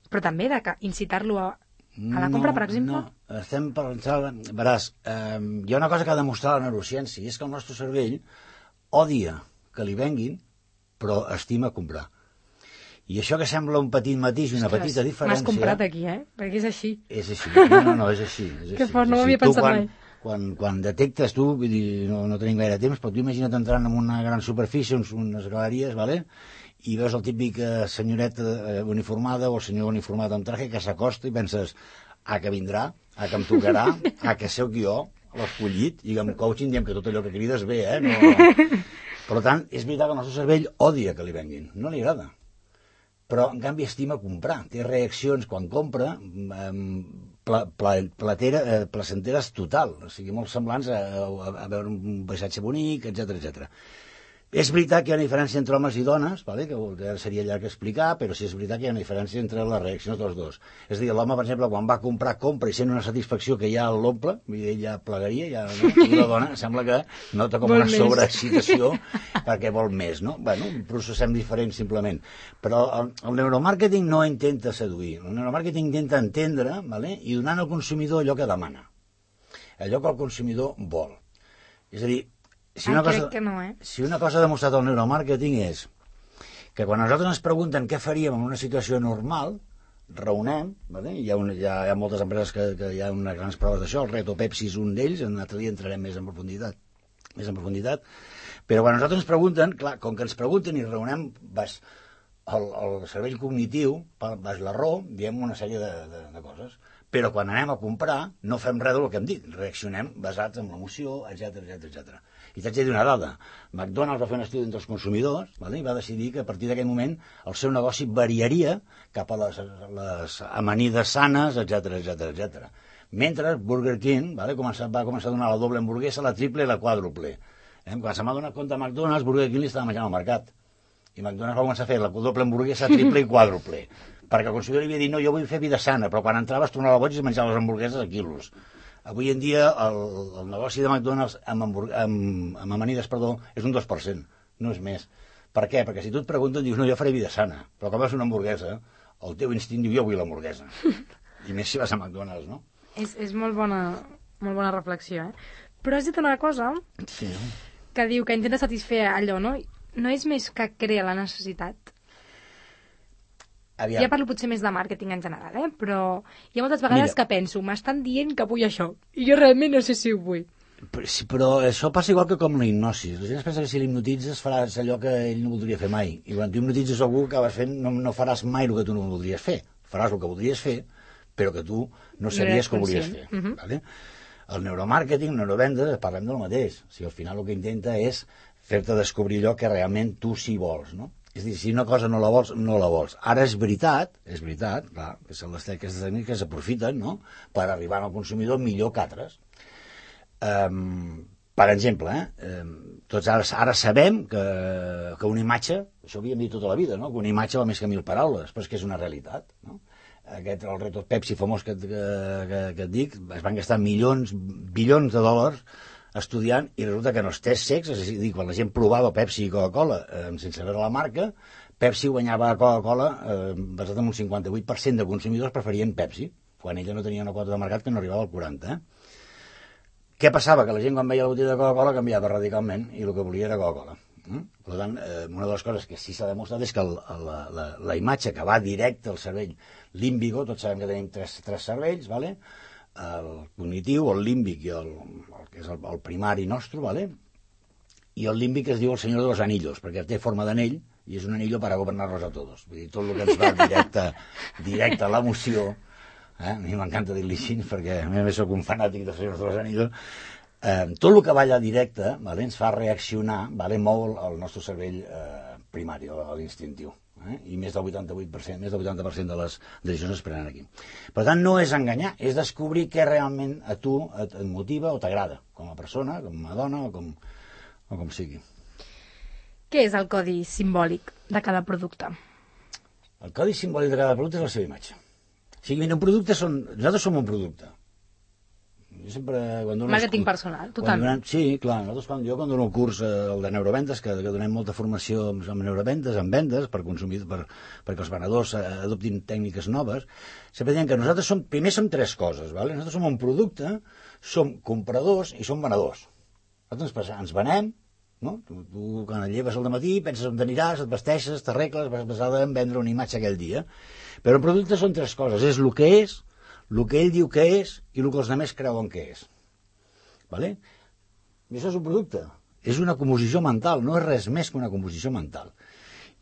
Però també de que incitar-lo a, a la compra,
no,
per exemple?
No, estem parlant... Veràs, eh, hi ha una cosa que ha demostrat la neurociència, i és que el nostre cervell odia que li venguin, però estima comprar. I això que sembla un petit matís i una
Ostres,
petita diferència...
m'has comprat aquí, eh? Perquè és així.
És així. No, no, no, és així. És
que
així,
fort, no
és
m'havia
així.
pensat
quan,
mai.
Quan, quan detectes tu, vull dir, no, no tenim gaire temps, però tu imagina't entrant en una gran superfície, uns, unes galeries, vale? I veus el típic eh, senyoreta eh, uniformada o el senyor uniformat amb traje que s'acosta i penses, ah, que vindrà, ah, que em tocarà, ah, que sóc jo, l'escollit, i amb coaching diem que tot allò que crides bé, eh? No, no. Per tant, és veritat que el nostre cervell odia que li venguin, no li agrada. Però, en canvi, estima comprar. Té reaccions quan compra eh, pla, pla, platera, eh, placenteres total, o sigui, molt semblants a, a, a veure un paisatge bonic, etcètera, etcètera. És veritat que hi ha una diferència entre homes i dones, vale? Que seria llarg explicar, però sí és veritat que hi ha una diferència entre les reaccions dels dos. És a dir, l'home, per exemple, quan va comprar, compra i sent una satisfacció que ja l'omple, vull dir, ja plegaria, ja, no? I la dona sembla que nota com vol una sobreexcitació perquè vol més, no? Bueno, processem diferent simplement. Però el, el neuromàrqueting no intenta seduir, el neuromàrqueting intenta entendre, vale? I donant al consumidor allò que demana, allò que el consumidor vol. És a dir, Si una, cosa,
que no, eh?
si una cosa ha demostrat el neuromàrqueting és que quan a nosaltres ens pregunten què faríem en una situació normal, raonem, vale? hi, ha un, hi, ha, hi ha moltes empreses que, que hi ha unes grans proves d'això, el Reto Pepsi és un d'ells, en un altre dia entrarem més en profunditat, més en profunditat, però quan a nosaltres ens pregunten, clar, com que ens pregunten i raonem, vas, el, el cervell cognitiu, vas la raó, diem una sèrie de, de, de coses, però quan anem a comprar no fem res del que hem dit, reaccionem basats en l'emoció, etcètera, etcètera, etcètera. I t'haig de dir una dada. McDonald's va fer un estudi entre els consumidors, vale? I va decidir que a partir d'aquell moment el seu negoci variaria cap a les, les amanides sanes, etcètera, etcètera, etcètera. Mentre Burger King, vale? començar, va començar a donar la doble hamburguesa, la triple i la quàdruple. Eh? Quan se m'ha donat compte McDonald's, Burger King li estava menjant al mercat. I McDonald's va començar a fer la doble hamburguesa, triple i quàdruple. Perquè el consumidor li havia dit, no, jo vull fer vida sana, però quan entraves tornava boig i es menjava les hamburgueses a quilos. Avui en dia el, el negoci de McDonald's amb, amb, amb amanides, perdó, és un dos per cent, no és més. Per què? Perquè si tu et pregunten, dius, no, jo faré vida sana, però quan vas a una hamburguesa, el teu instint diu, jo vull l'hamburguesa. I més si vas a McDonald's, no?
És, és molt bona, molt bona reflexió, eh? Però has dit una cosa
sí.
que diu que intenta satisfer allò, no? No és més que crea la necessitat?
Aviam.
Ja parlo potser més de màrqueting en general, eh? Però hi ha moltes vegades Mira. que penso, m'estan dient que vull això, i jo realment no sé si ho vull.
Però, sí, però això passa igual que com la hipnosi. La gent es pensa que si l'hipnotitzes faràs allò que ell no voldria fer mai. I quan tu hipnotitzes algú que vas fent, no, no faràs mai el que tu no voldries fer. Faràs el que voldries fer, però que tu no sabies que volies fer. Uh -huh. Vale? El neuromàrqueting, el neurovendes, parlem del mateix. O sigui, al final el que intenta és fer-te descobrir allò que realment tu sí vols, no? És a dir, si una cosa no la vols, no la vols. Ara és veritat, és veritat, clar, que són les aquestes tècniques que s'aprofiten, no?, per arribar al consumidor millor que altres. Um, per exemple, eh, um, tots ara, ara sabem que, que una imatge, això ho havíem dit tota la vida, no?, que una imatge va més que mil paraules, però és que és una realitat, no? Aquest, el Reto Pepsi famós que, que, que, que et dic, es van gastar milions, bilions de dòlars estudiant, i resulta que en els tests secs, és a dir, quan la gent provava Pepsi i Coca-Cola eh, sense veure la marca, Pepsi guanyava a Coca-Cola eh, basat en un cinquanta-vuit per cent de consumidors preferien Pepsi, quan ella no tenia una quota de mercat que no arribava al quaranta per cent. Eh? Què passava? Que la gent quan veia la botella de Coca-Cola canviava radicalment i el que volia era Coca-Cola. Mm? Per tant, eh, una de les coses que sí s'ha demostrat és que el, la, la, la imatge que va directe al cervell límbico, tots sabem que tenim tres, tres cervells, ¿vale? El cognitiu, el límbic i el, el que és el, el primari nostre, ¿vale? I el límbic es diu el senyor de los anillos, perquè té forma d'anell i és un anillo para gobernar-los a todos. Vull dir, tot el que ens va directe, directe a l'emoció, eh? A mi m'encanta dir-li així perquè a mi soc un fanàtic dels senyors de los anillos. Eh, tot el que va allà directe, vale, ens fa reaccionar, vale, mou el, el nostre cervell eh, primari, l'instintiu, eh? I més del vuitanta-vuit per cent, més del vuitanta per cent de les decisions es prenen aquí. Per tant, no és enganyar, és descobrir què realment a tu et, et motiva o t'agrada, com a persona, com a dona o com, o com sigui.
Què és el codi simbòlic de cada producte?
El codi simbòlic de cada producte és la seva imatge. O sigui, un producte són... Nosaltres som un producte. Jo sempre, quan dono
Màrqueting
curs,
personal, totalment.
Donem, sí, clar, nosaltres quan, jo quan dono el curs eh, el de neuroventes, que, que donem molta formació amb, amb neuroventes, amb vendes, per consumir, per, perquè els venedors eh, adoptin tècniques noves, sempre diem que nosaltres som, primer som tres coses, ¿vale? Nosaltres som un producte, som compradors i som venedors. Nosaltres ens, ens venem, no? Tu, tu quan et lleves al matí penses on t'aniràs, et vesteixes, t'arregles, vas basada en vendre una imatge aquell dia. Però un producte són tres coses, és el que és, el que ell diu que és i el que els altres creuen que és. Vale? I això és un producte. És una composició mental, no és res més que una composició mental.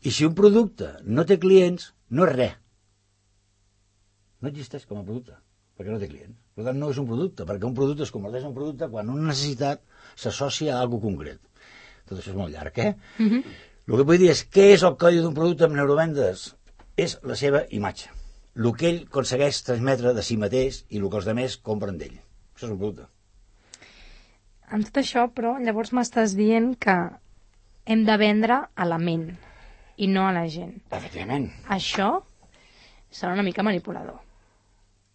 I si un producte no té clients, no és res. No existeix com a producte, perquè no té clients. Per tant, no és un producte, perquè un producte es converteix en un producte quan una necessitat s'associa a alguna concret. Tot això és molt llarg, eh? Mm-hmm. El que vull dir és què és el codi d'un producte amb neurovendes? És la seva imatge. El que ell aconsegueix transmetre de si mateix i el que els altres compren d'ell. Això és un producte.
Amb tot això, però, llavors m'estàs dient que hem de vendre a la ment i no a la gent.
Efectivament.
Això serà una mica manipulador.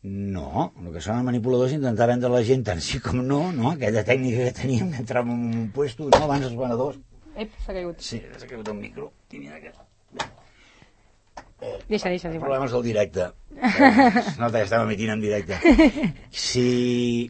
No, el que sona manipulador és intentar vendre a la gent tant sí com no, no? Aquella tècnica que teníem d'entrar en un puesto, no? Abans els venedors...
Ep, s'ha caigut.
Sí, s'ha caigut un micro. I mira que...
Eh, deixa, deixa, igual.
Problemes del directe. Es nota que estem emitint en directe. Si...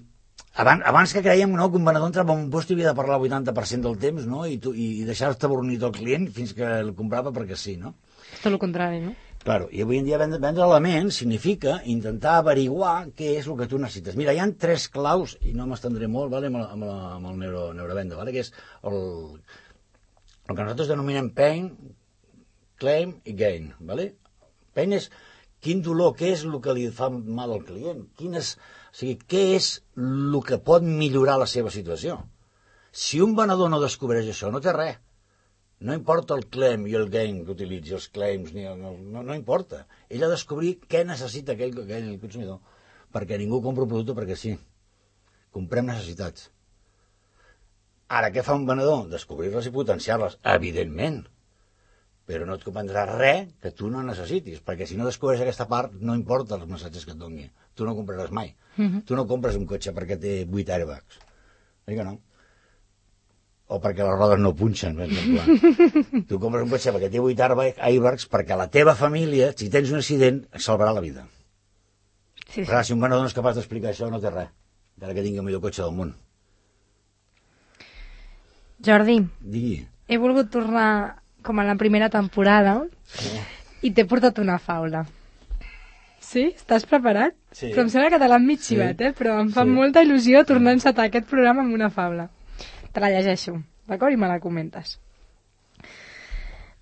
Abans, abans que creiem, no, que un venedor entrava en un lloc i havia de parlar el vuitanta per cent del temps, no? I, tu, i deixar-te bornit el client fins que el comprava perquè sí, no?
Tot el contrari, no?
Claro, i avui en dia vendre, vendre l'element significa intentar averiguar què és el que tu necessites. Mira, hi ha tres claus, i no m'estendré molt, vale, amb, la, amb, la, amb el neuro, neurovenda, vale, que és el, el que nosaltres denominem pain, claim i gain, ¿vale? Pain és quin dolor, què és el que li fa mal al client, quin és, o sigui, què és el que pot millorar la seva situació. Si un venedor no descobreix això, no té res. No importa el claim i el gain que utilitzi, els claims, ni el, no, no importa. Ell ha de descobrir què necessita aquell, aquell consumidor, perquè ningú compra un producte perquè sí. Comprem necessitats. Ara, què fa un venedor? Descobrir-les i potenciar-les, evidentment. Però no et comprendrà res que tu no necessitis, perquè si no descobreix aquesta part, no importa els missatges que et doni. Tu no compraràs mai. Uh-huh. Tu no compres un cotxe perquè té vuit airbags. Oi que no? O perquè les rodes no punxen, per exemple. Tu compres un cotxe perquè té vuit airbags perquè la teva família, si tens un accident, et salvarà la vida. Sí, sí. Però si un venedor no és capaç d'explicar això, no té res. Encara que tingui el millor cotxe del món.
Jordi,
Digui.
He volgut tornar com a la primera temporada sí. I t'he portat una faula. Sí? Estàs preparat?
Sí.
Però em sembla que te l'han mig xivat, sí. eh? Però em fa sí. molta il·lusió tornar a encetar aquest programa amb una faula. Te la llegeixo, d'acord? I me la comentes.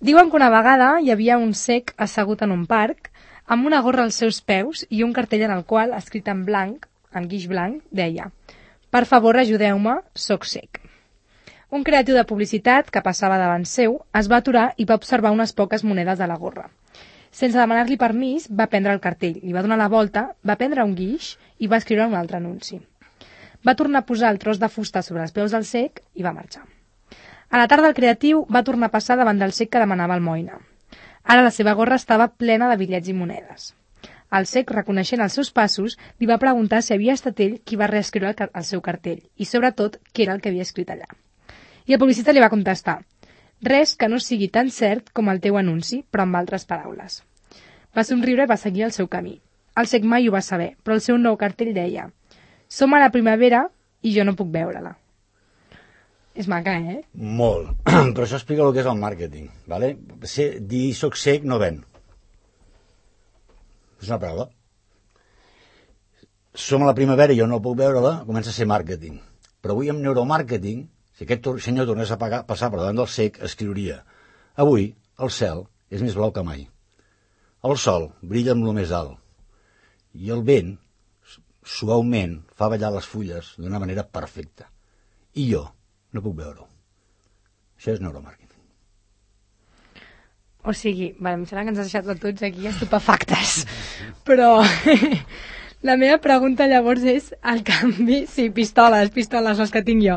Diuen que una vegada hi havia un cec assegut en un parc amb una gorra als seus peus i un cartell en el qual, escrit en blanc, en guix blanc, deia: "Per favor, ajudeu-me, soc cec." Un creatiu de publicitat que passava davant seu es va aturar i va observar unes poques monedes de la gorra. Sense demanar-li permís, va prendre el cartell, li va donar la volta, va prendre un guix i va escriure un altre anunci. Va tornar a posar el tros de fusta sobre els peus del cec i va marxar. A la tarda el creatiu va tornar a passar davant del cec que demanava almoina. Ara la seva gorra estava plena de bitllets i monedes. El cec, reconeixent els seus passos, li va preguntar si havia estat ell qui va reescriure el, el seu cartell i, sobretot, què era el que havia escrit allà. I el publicista li va contestar: res que no sigui tan cert com el teu anunci, però amb altres paraules. Va somriure i va seguir el seu camí. El cec mai ho va saber, però el seu nou cartell deia: som a la primavera i jo no puc veure-la. És maca, eh?
Molt. Però això explica el que és el màrqueting. ¿Vale? Ser, dir soc cec no ven. És una paraula. Som a la primavera i jo no puc veure-la, comença a ser màrqueting. Però avui amb neuromàrqueting, si aquest senyor tornés a pagar, passar per davant del cec, escriuria: avui el cel és més blau que mai. El sol brilla amb lo més alt. I el vent, suaument, fa ballar les fulles d'una manera perfecta. I jo no puc veure-ho. Això és neuromàrqueting.
O sigui, vale, em sembla que ens has deixat a tots aquí estupefactes. Però la meva pregunta llavors és el canvi... Sí, pistoles, pistoles, les que tinc jo.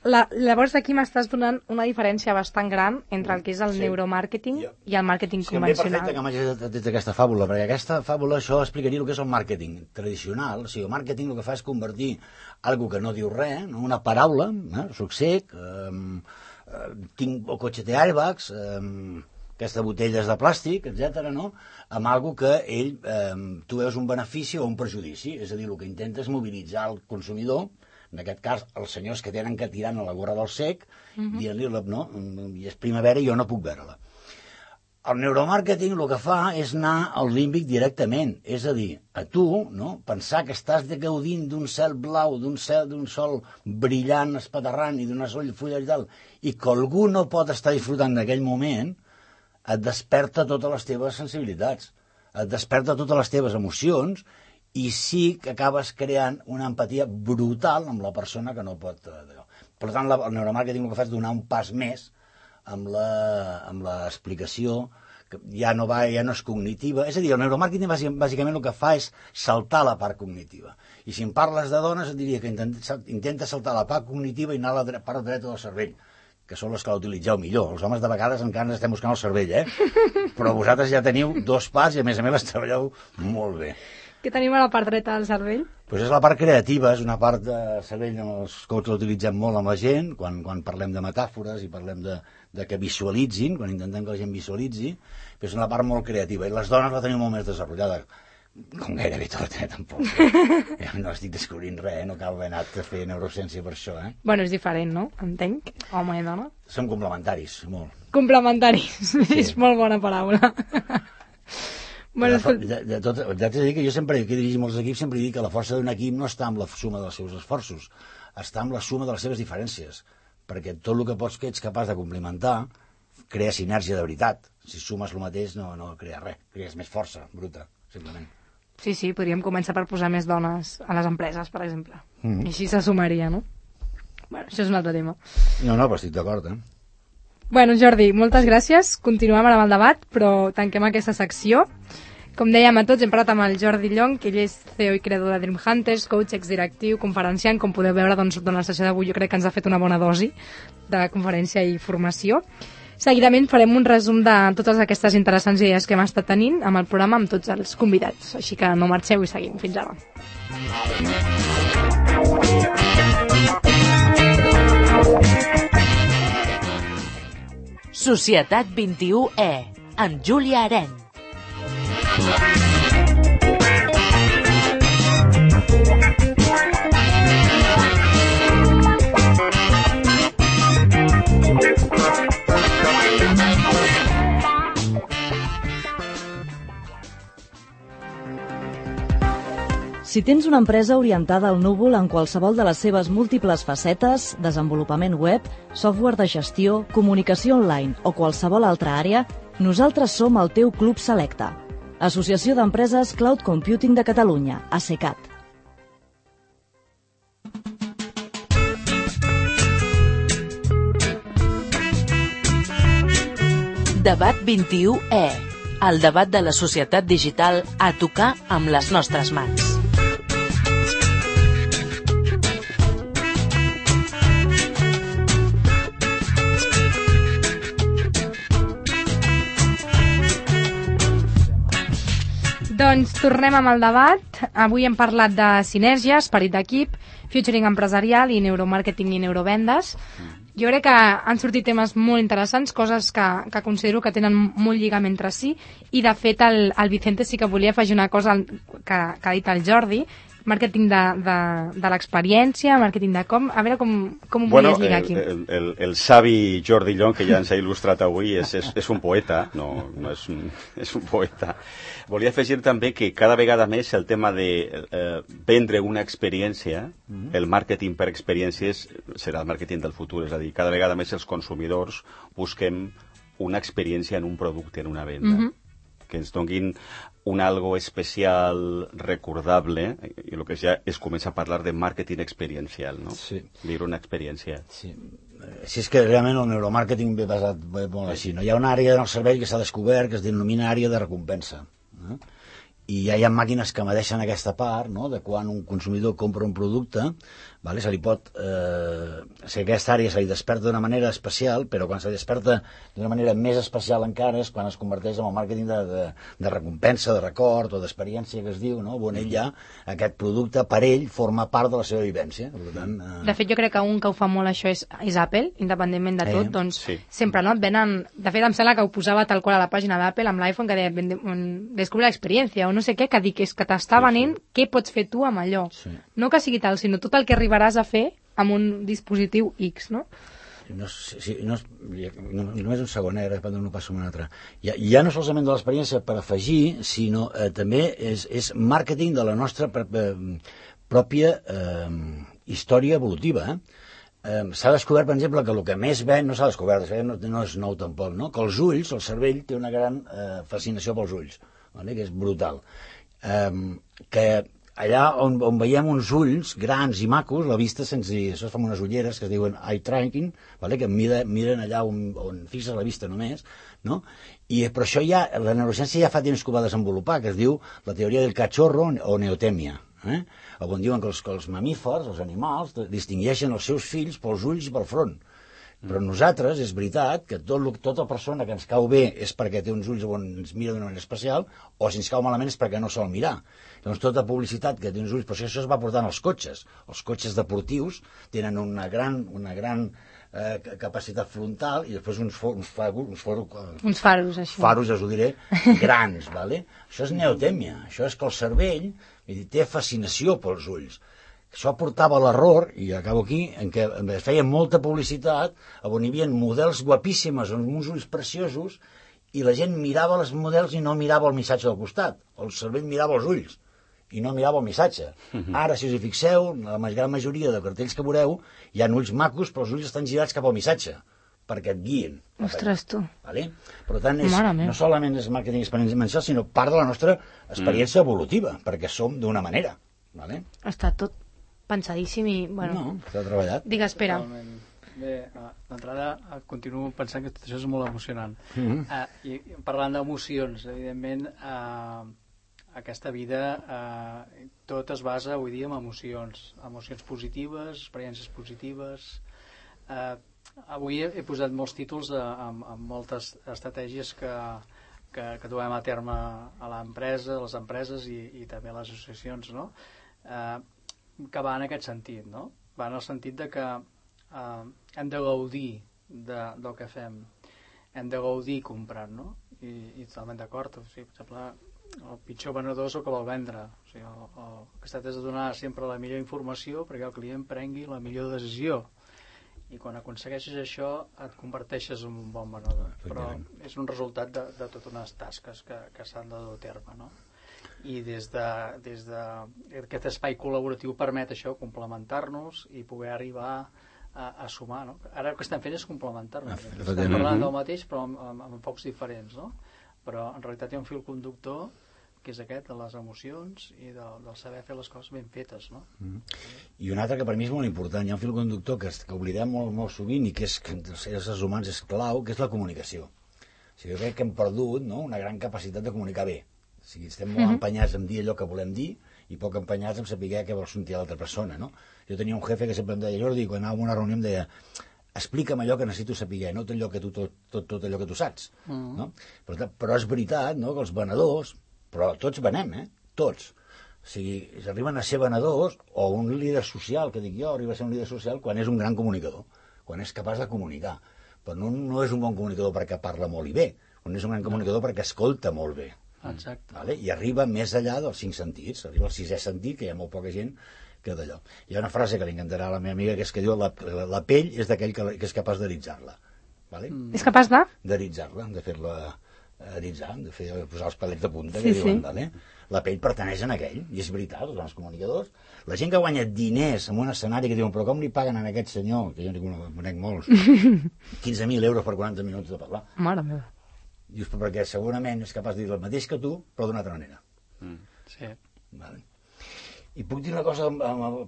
La, llavors aquí m'estàs donant una diferència bastant gran entre el que és el sí. neuromàrqueting ja. i el màrqueting sí, convencional. Sí, perfecte que m'hagis dit aquesta fàbula, perquè aquesta fàbula això explicaria el que és el màrqueting tradicional. O sigui, el màrqueting el que fa és convertir algo que no diu res, no? Una paraula, eh? Soc cec, eh, eh, tinc el cotxe té airbags, eh, aquestes botelles de plàstic, etcètera, no? Amb algo que ell, eh, tu veus un benefici o un perjudici, és a dir, el que intenta és mobilitzar el consumidor, en aquest cas, els senyors que tenen que tirar a la gorra del cec, uh-huh. dient-li, no, i és primavera i jo no puc veure-la. El neuromàrqueting el que fa és anar al límbic directament, és a dir, a tu, no, pensar que estàs gaudint d'un cel blau, d'un cel, d'un sol brillant, espaterrant i d'una sol fulla i tal, i que algú no pot estar disfrutant d'aquell moment, et desperta totes les teves sensibilitats, et desperta totes les teves emocions, i sí que acabes creant una empatia brutal amb la persona que no pot... Per tant, la, el neuromàrqueting el que fa és donar un pas més amb l'explicació, que ja no, va, ja no és cognitiva. És a dir, el neuromàrqueting bàsicament el que fa és saltar la part cognitiva. I si em parles de dones et diria que intenta, intenta saltar la part cognitiva i anar a la part dreta del cervell, que són les que l'utilitzeu millor. Els homes de vegades encara ens estem buscant el cervell, eh? Però vosaltres ja teniu dos parts i a més a més les treballeu molt bé. Què tenim a la part dreta del cervell?
Pues és la part creativa, és una part de cervell en els coach l'utilitzem molt amb la gent, quan, quan parlem de metàfores i parlem de, de que visualitzin, quan intentem que la gent visualitzi, però és una part molt creativa, i les dones la tenim molt més desenvolupada, com gairebé tot, eh, tampoc. Ja no estic descobrint res, eh? No cal haver anat a fer neurociència per això, eh?
Bueno, és diferent, no? Entenc, home i dona.
Som complementaris, molt.
Complementaris, sí. És molt bona paraula.
Bueno, de, de, de tot, t'haig de dir que jo sempre, que dirigim els equips, sempre dic que la força d'un equip no està amb la suma dels seus esforços, està amb la suma de les seves diferències, perquè tot el que pots que ets capaç de complementar crea sinergia de veritat. Si sumes el mateix no, no crea res, crees més força bruta, simplement.
Sí, sí, podríem començar per posar més dones a les empreses, per exemple. Mm-hmm. I així se sumaria, no? Bueno, això és un altre tema.
No, no, però estic d'acord, eh?
Bueno, Jordi, moltes gràcies. Continuem ara amb el debat, però tanquem aquesta secció. Com dèiem a tots, hem parlat amb el Jordi Llong, que ell és C E O i creador de Dream Hunters, coach, exdirectiu, conferenciant. Com podeu veure, doncs, durant la sessió d'avui jo crec que ens ha fet una bona dosi de conferència i formació. Seguidament farem un resum de totes aquestes interessants idees que hem estat tenint amb el programa amb tots els convidats. Així que no marxeu i seguim. Fins ara.
Societat vint-i-u E, amb Júlia Aren.
Si tens una empresa orientada al núvol en qualsevol de les seves múltiples facetes, desenvolupament web, software de gestió, comunicació online o qualsevol altra àrea, nosaltres som el teu Club Selecte. Associació d'Empreses Cloud Computing de Catalunya, ASECAT.
Debat vint-i-u E, el debat de la societat digital a tocar amb les nostres mans.
Doncs tornem amb el debat. Avui hem parlat de sinergia, esperit d'equip, futuring empresarial i neuromàrqueting i neurovendes. Jo crec que han sortit temes molt interessants, coses que, que considero que tenen molt lligam entre si, i de fet el, el Vicente sí que volia afegir una cosa que, que ha dit el Jordi, màrqueting de, de, de l'experiència, màrqueting de com... A veure com, com ho
bueno,
volies lligar aquí.
El, el, el savi Jordi Llong, que ja ens ha il·lustrat avui, és, és, és un poeta, no, no és, un, és un poeta. Volia afegir també que cada vegada més el tema de eh, vendre una experiència, mm-hmm. el màrqueting per experiències serà el màrqueting del futur, és a dir, cada vegada més els consumidors busquem una experiència en un producte, en una venda. Mm-hmm. Que ens donguin un algo especial, recordable, i el que ja es comença a parlar de màrqueting experiencial, no? Sí. Viure una experiència.
Sí. Si és que realment el neuromàrqueting ve basat molt així, no? Hi ha una àrea en el cervell que s'ha descobert que es denomina àrea de recompensa, no? I ja hi ha màquines que medeixen aquesta part, no?, de quan un consumidor compra un producte, vale? Se li pot... Eh, si aquesta àrea se li desperta d'una manera especial, però quan se li desperta d'una manera més especial encara és quan es converteix en el màrqueting de, de, de recompensa, de record o d'experiència que es diu, no?, on ell ja, aquest producte, per ell, forma part de la seva vivència. Per tant, eh...
De fet, jo crec que un que ho fa molt això és, és Apple, independentment de tot, eh, doncs sí. Sempre, no?, et venen... De fet, em sembla que ho posava tal qual a la pàgina d'Apple amb l'iPhone, que deia, descubre l'experiència, o no sé què, que dic, és que t'està venent sí, sí. Què pots fer tu amb allò. Sí. No que sigui tal, sinó tot el que arribaràs a fer amb un dispositiu X, no?
No, sí, no, no, només un segon, eh, ara no passo un altre. Ja, ja no solament de l'experiència per afegir, sinó eh, també és, és màrqueting de la nostra eh, pròpia eh, història evolutiva. Eh? Eh, s'ha descobert, per exemple, que el que més ven, no s'ha descobert, no, no és nou tampoc, no? Que els ulls, el cervell, té una gran eh, fascinació pels ulls, vale? Que és brutal. Eh, que allà on, on veiem uns ulls grans i macos, la vista se'ns... Això es fa amb unes ulleres que es diuen eye tracking, vale? Que mira, miren allà on, on fixes la vista només, no? I, però això ja, la neurociència ja fa temps que ho va desenvolupar, que es diu la teoria del cachorro o neotèmia, eh? On diuen que els, que els mamífers, els animals, distingueixen els seus fills pels ulls i pel front. Però nosaltres, és veritat, que tot, tota persona que ens cau bé és perquè té uns ulls on ens mira d'una manera especial, o si ens cau malament és perquè no sol mirar. Llavors, tota publicitat que té uns ulls, però això es va portant als cotxes. Els cotxes deportius tenen una gran, una gran eh, capacitat frontal i després uns, for, uns, faros, uns, for,
uns faros, això.
Faros, us ho diré, grans, vale? Això és neotèmia. Això és que el cervell dir, té fascinació pels ulls. Això portava a l'error, i acabo aquí, en què es feia molta publicitat on hi havia models guapíssimes amb uns ulls preciosos i la gent mirava els models i no mirava el missatge del costat. El cervell mirava els ulls i no mirava el missatge. Uh-huh. Ara, si us hi fixeu, la gran majoria de cartells que veureu hi ha ulls macos, però els ulls estan girats cap al missatge perquè et guien.
Ostres, tu.
Vale? Per tant, és, no solament és màrqueting experiencial, sinó part de la nostra experiència mm. evolutiva, perquè som d'una manera. Vale?
Està tot pensadíssim i... Bueno,
no, s'ha treballat.
Digues, espera.
Totalment. Bé, d'entrada continuo pensant que tot això és molt emocionant. Mm-hmm. uh, I parlant d'emocions, evidentment, uh, aquesta vida uh, tot es basa avui dia en emocions. Emocions positives, experiències positives. Uh, avui he, he posat molts títols a, a, a moltes estratègies que, que, que duem a terme a l'empresa, a les empreses i, i també a les associacions, no? Uh, que va en aquest sentit, no? Va en el sentit de que eh, hem de gaudir de, del que fem, hem de gaudir comprant, no? I, i totalment d'acord. O sigui, per exemple, el pitjor venedor és el que vol vendre. O sigui, el, el que es tracta és de donar sempre la millor informació perquè el client prengui la millor decisió. I quan aconsegueixes això et converteixes en un bon venedor. Però és un resultat de, de totes unes tasques que, que s'han de dur a terme, no? I des de, des de aquest espai col·laboratiu permet això, complementar-nos i poder arribar a, a sumar, no? Ara el que estem fent és complementar-nos. Estem parlant del mateix però amb, amb, amb pocs diferents, no? Però en realitat hi ha un fil conductor que és aquest, de les emocions i de, del saber fer les coses ben fetes, no?
Mm. I un altre que per mi és molt important, hi ha un fil conductor que, que oblidem molt, molt sovint i que és que els éssers humans és clau, que és la comunicació. O sigui, jo crec que hem perdut, no?, una gran capacitat de comunicar bé. O sigui, estem molt mm-hmm. empenyats en dir allò que volem dir i poc empenyats en saber què vol sentir l'altra persona, no? Jo tenia un jefe que sempre em deia, Jordi, quan anàvem a una reunió em deia, explica'm allò que necessito saber, no tot allò que tu, tot, tot, tot allò que tu saps, mm-hmm. no? Però, però és veritat, no?, que els venedors però tots venem, eh? Tots. O sigui, arriben a ser venedors, o un líder social, que dic jo, arriba a ser un líder social quan és un gran comunicador, quan és capaç de comunicar. Però no, no és un bon comunicador perquè parla molt i bé, on és un gran comunicador perquè escolta molt bé.
Exacte.
Vale? I arriba més enllà dels cinc sentits, arriba al sisè sentit, que hi ha molt poca gent que d'allò. Hi ha una frase que li encantarà a la meva amiga, que és que diu la, la, la pell és d'aquell que, que és capaç d'eritzar-la. Vale?
Mm. És capaç de?
D'eritzar-la, de fer-la eritzar, de fer, posar els pelets de punta,
sí,
que diuen,
sí.
Vale? La pell pertaneix a aquell, i és veritat, els grans comunicadors. La gent que guanya diners en un escenari que diuen, però com li paguen a aquest senyor, que jo no conec molts, quinze mil euros per quaranta minuts de parlar.
Mare meva.
Dius, perquè segurament és capaç de dir el mateix que tu, però d'una altra manera.
Mm. Sí.
Vale. I puc dir una cosa,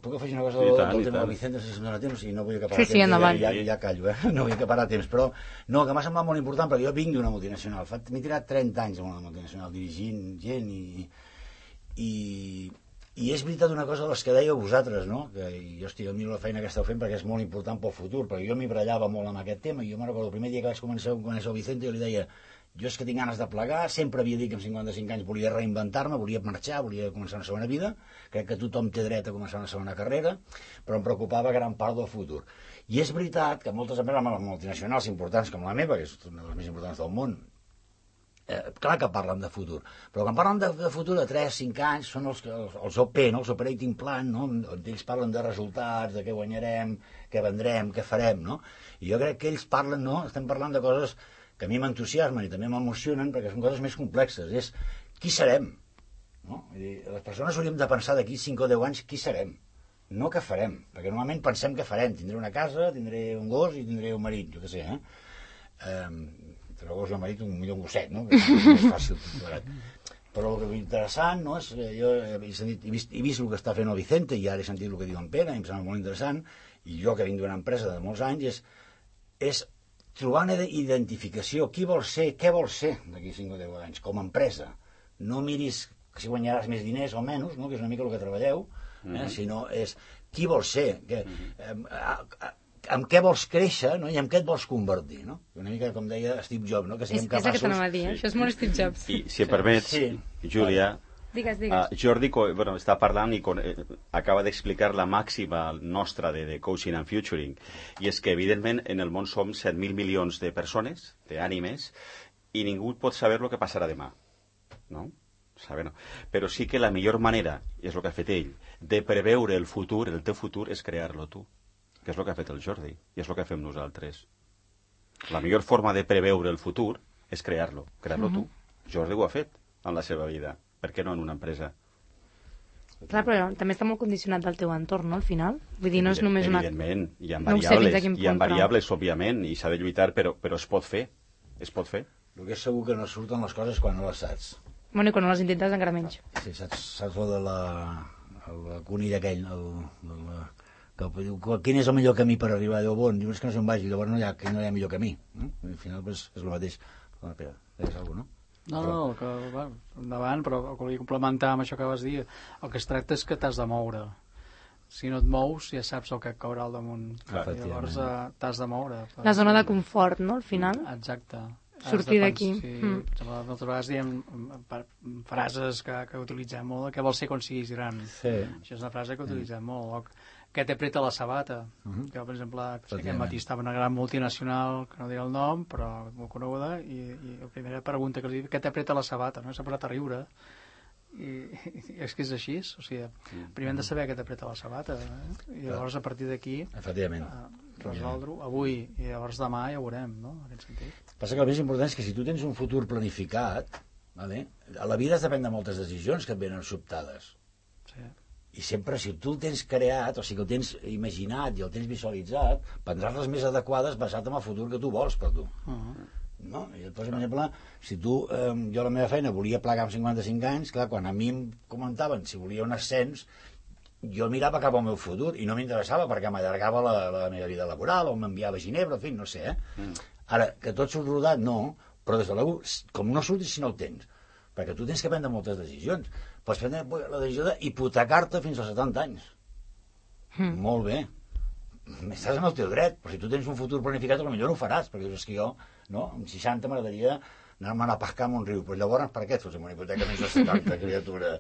puc afegir una cosa
I
del,
tant,
del
i
tema
tant.
del Vicente, si em dóna temps, i no vull acabar
Sí, sí, endavant.
Ja, ja, ja callo, eh? No vull acabar a temps, però no, que m'ha semblat molt important, perquè jo vinc d'una multinacional, m'he tirat trenta anys en una multinacional, dirigint gent i, i, i és veritat una cosa de les que dèieu vosaltres, no? Que jo estic admiro la feina que esteu fent perquè és molt important pel futur, perquè jo m'hi brallava molt amb aquest tema, i jo me'n recordo el primer dia que vaig començar a conèixer el Vicente, jo li deia, jo és que tinc ganes de plegar, sempre havia dit que amb cinquanta-cinc anys volia reinventar-me, volia marxar, volia començar una segona vida, crec que tothom té dret a començar una segona carrera, però em preocupava gran part del futur. I és veritat que moltes empreses multinacionals importants com la meva, que és una de les més importants del món, eh, clar que parlen de futur, però quan parlen de, de futur de tres a cinc anys són els, els, els O P, no? Els Operating Plan, no? Ells parlen de resultats, de què guanyarem, què vendrem, què farem, no? I jo crec que ells parlen, no? Estem parlant de coses que a mi m'entusiasmen i també m'emocionen perquè són coses més complexes. És qui serem? No? Vull dir, les persones hauríem de pensar d'aquí cinc o deu anys qui serem, no què farem, perquè normalment pensem què farem. Tindré una casa, tindré un gos i tindré un marit, jo què sé, eh? Um, entre el gos i el marit, un millor un gosset, no? Que és més fàcil. Però el que és interessant, no? És, jo he, sentit, he, vist, he vist el que està fent el Vicente i ara he sentit el que diu en Pere, i em sembla molt interessant, i jo que vinc d'una empresa de molts anys, és, és trobar una identificació, qui vol ser, què vol ser d'aquí cinc o deu anys, com a empresa. No miris si guanyaràs més diners o menys, no? Que és una mica el que treballeu, eh? Mm-hmm. Sinó és qui vols ser, que, eh, a, a, amb què vols créixer, no? I amb què et vols convertir, no? Una mica com deia Steve Jobs, no? Que siguem
és,
capaços...
És el que t'anava a dir, eh? Això és molt Steve Jobs.
I si em permets,
sí.
Júlia,
digues, digues.
Uh, Jordi bueno, està parlant i con, eh, acaba d'explicar la màxima nostra de, de coaching and futuring, i és que evidentment en el món som set mil milions de persones, d'ànimes, i ningú pot saber el que passarà demà, no? Saber, no? Però sí que la millor manera, i és el que ha fet ell, de preveure el futur, el teu futur, és crear-lo tu, que és el que ha fet el Jordi, i és el que fem nosaltres. La millor forma de preveure el futur és crear-lo, crear-lo uh-huh. tu. Jordi ho ha fet en la seva vida. Per què no en una empresa?
Clar, però també està molt condicionat del teu entorn, no, al final? Vull dir, no és només una...
Evidentment, hi ha
no
variables,
sé
hi ha variables, però... òbviament, i s'ha de lluitar, però, però es pot fer, es pot fer.
El que és segur que no surten les coses quan no les saps.
Bueno, i quan no les intentes encara menys.
Sí, saps, saps lo de la... el conill aquell, el, el, que diu, quin és el millor camí per arribar a Déu bon? Diu, és que no sé on vagi, llavors no hi ha, no hi ha millor camí. No? Al final pues, és el mateix. Espera, deies alguna cosa, no?
No, no, el que, va, endavant, però el que volia complementar amb això que vas dir, el que es tracta és que t'has de moure. Si no et mous, ja saps el que et caurà al damunt.
Clar,
llavors eh, t'has de moure. Per...
La zona de confort, no, al final?
Exacte.
Sortir d'aquí.
Sí,
mm.
moltes vegades diem frases que, que utilitzem molt, que vols ser quan siguis gran.
Sí.
Això és una frase que utilitzem mm. molt. O que t'apreta la sabata. Uh-huh. Que, per exemple, aquest matí estava una gran multinacional, que no diré el nom, però molt coneguda, i, i la primera pregunta que li dic, què t'apreta la sabata? No? S'ha posat a riure. I, i és que és així, o sigui, primer hem de saber què t'apreta la sabata, eh? I llavors a partir d'aquí
efectivament
eh, resoldre-ho avui, i llavors demà ja ho veurem, no? En aquest sentit.
Passa que el més important és que si tu tens un futur planificat, vale? A la vida has de prendre moltes decisions que et venen sobtades.
Sí.
I sempre, si tu el tens creat, o sigui que el tens imaginat i el tens visualitzat, prendràs les més adequades basat en el futur que tu vols per tu.
Uh-huh.
No? I et poso un exemple, si tu, eh, jo la meva feina volia plegar amb cinquanta-cinc anys, clar, quan a mi em comentaven si volia un ascens, jo mirava cap al meu futur i no m'interessava perquè m'allargava la, la meva vida laboral o m'enviava a Ginebra, en fi, no sé, eh? Mm. Ara, que tot surt rodat, no, però des de l'u, com no surtis si no el tens, perquè tu tens que prendre moltes decisions. Pots prendre la decisió d'hipotecar-te fins als setanta anys. Mm. Molt bé. Estàs en el teu dret, però si tu tens un futur planificat, potser no ho faràs, perquè dius que jo, no, amb seixanta m'agradaria Anem a pescar en un riu. Però llavors, per què et fots amb una hipoteca més de setanta, criatura?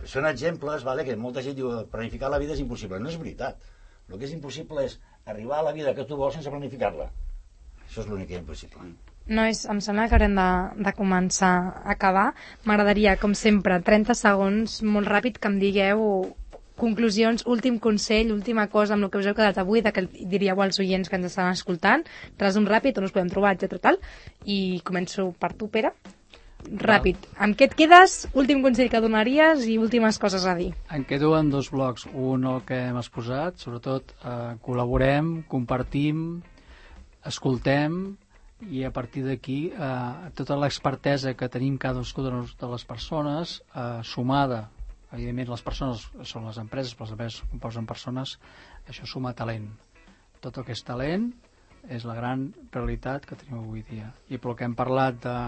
Són exemples, vale, que molta gent diu planificar la vida és impossible. No és veritat. El que és impossible és arribar a la vida que tu vols sense planificar-la. Això és l'únic que és impossible.
No és, em sembla que haurem de, de començar a acabar. M'agradaria, com sempre, trenta segons, molt ràpid, que em digueu conclusions, últim consell, última cosa amb el que us heu quedat avui, de que diríeu als oients que ens estan escoltant, resum ràpid, on us podem trobar, etcètera tal. I començo per tu, Pere. Ràpid. Amb què et quedes? Últim consell que donaries i últimes coses a dir.
Em quedo en dos blocs. Un, el que hem exposat, sobretot eh, col·laborem, compartim, escoltem, i a partir d'aquí eh, tota l'expertesa que tenim cadascuna de les persones, eh, sumada, evidentment les persones són les empreses, però les empreses composen persones, això suma talent. Tot el que és talent és la gran realitat que tenim avui dia. I pel que hem parlat de,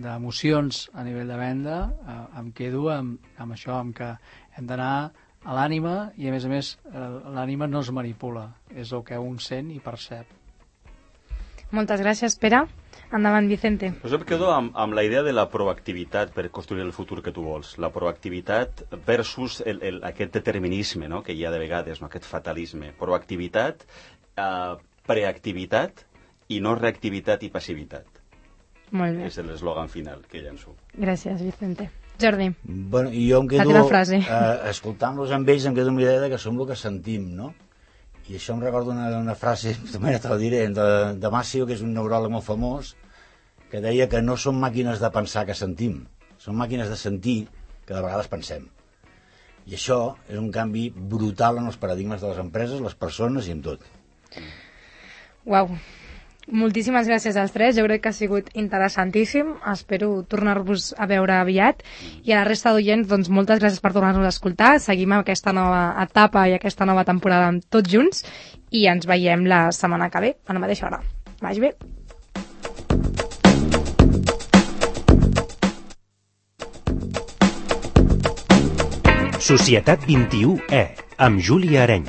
d'emocions a nivell de venda, eh, em quedo amb, amb això, amb que hem d'anar a l'ànima i a més a més eh, l'ànima no es manipula, és el que un sent i percep.
Moltes gràcies, Pere. Endavant, Vicente.
Pues jo em quedo amb, amb la idea de la proactivitat per construir el futur que tu vols. La proactivitat versus el, el, aquest determinisme, no?, que hi ha de vegades, no?, aquest fatalisme. Proactivitat, eh, preactivitat i no reactivitat i passivitat.
Molt bé.
És l'eslògan final que llenço.
Gràcies, Vicente. Jordi.
Bueno, i jo em quedo,
la teva frase.
Eh, escoltant-los amb ells, em quedo amb la idea que som el que sentim, no? I això em recorda una, una frase, també te la diré, de, de Masio, que és un neuròleg molt famós, que deia que no són màquines de pensar que sentim, són màquines de sentir que de vegades pensem. I això és un canvi brutal en els paradigmes de les empreses, les persones i en tot.
Uau. Moltíssimes gràcies als tres, jo crec que ha sigut interessantíssim, espero tornar-vos a veure aviat, i a la resta d'oients, doncs moltes gràcies per tornar-nos a escoltar, seguim aquesta nova etapa i aquesta nova temporada tots junts, i ens veiem la setmana que ve, a la mateixa hora. Vagi bé.
Societat vint i u E, amb Júlia Areny.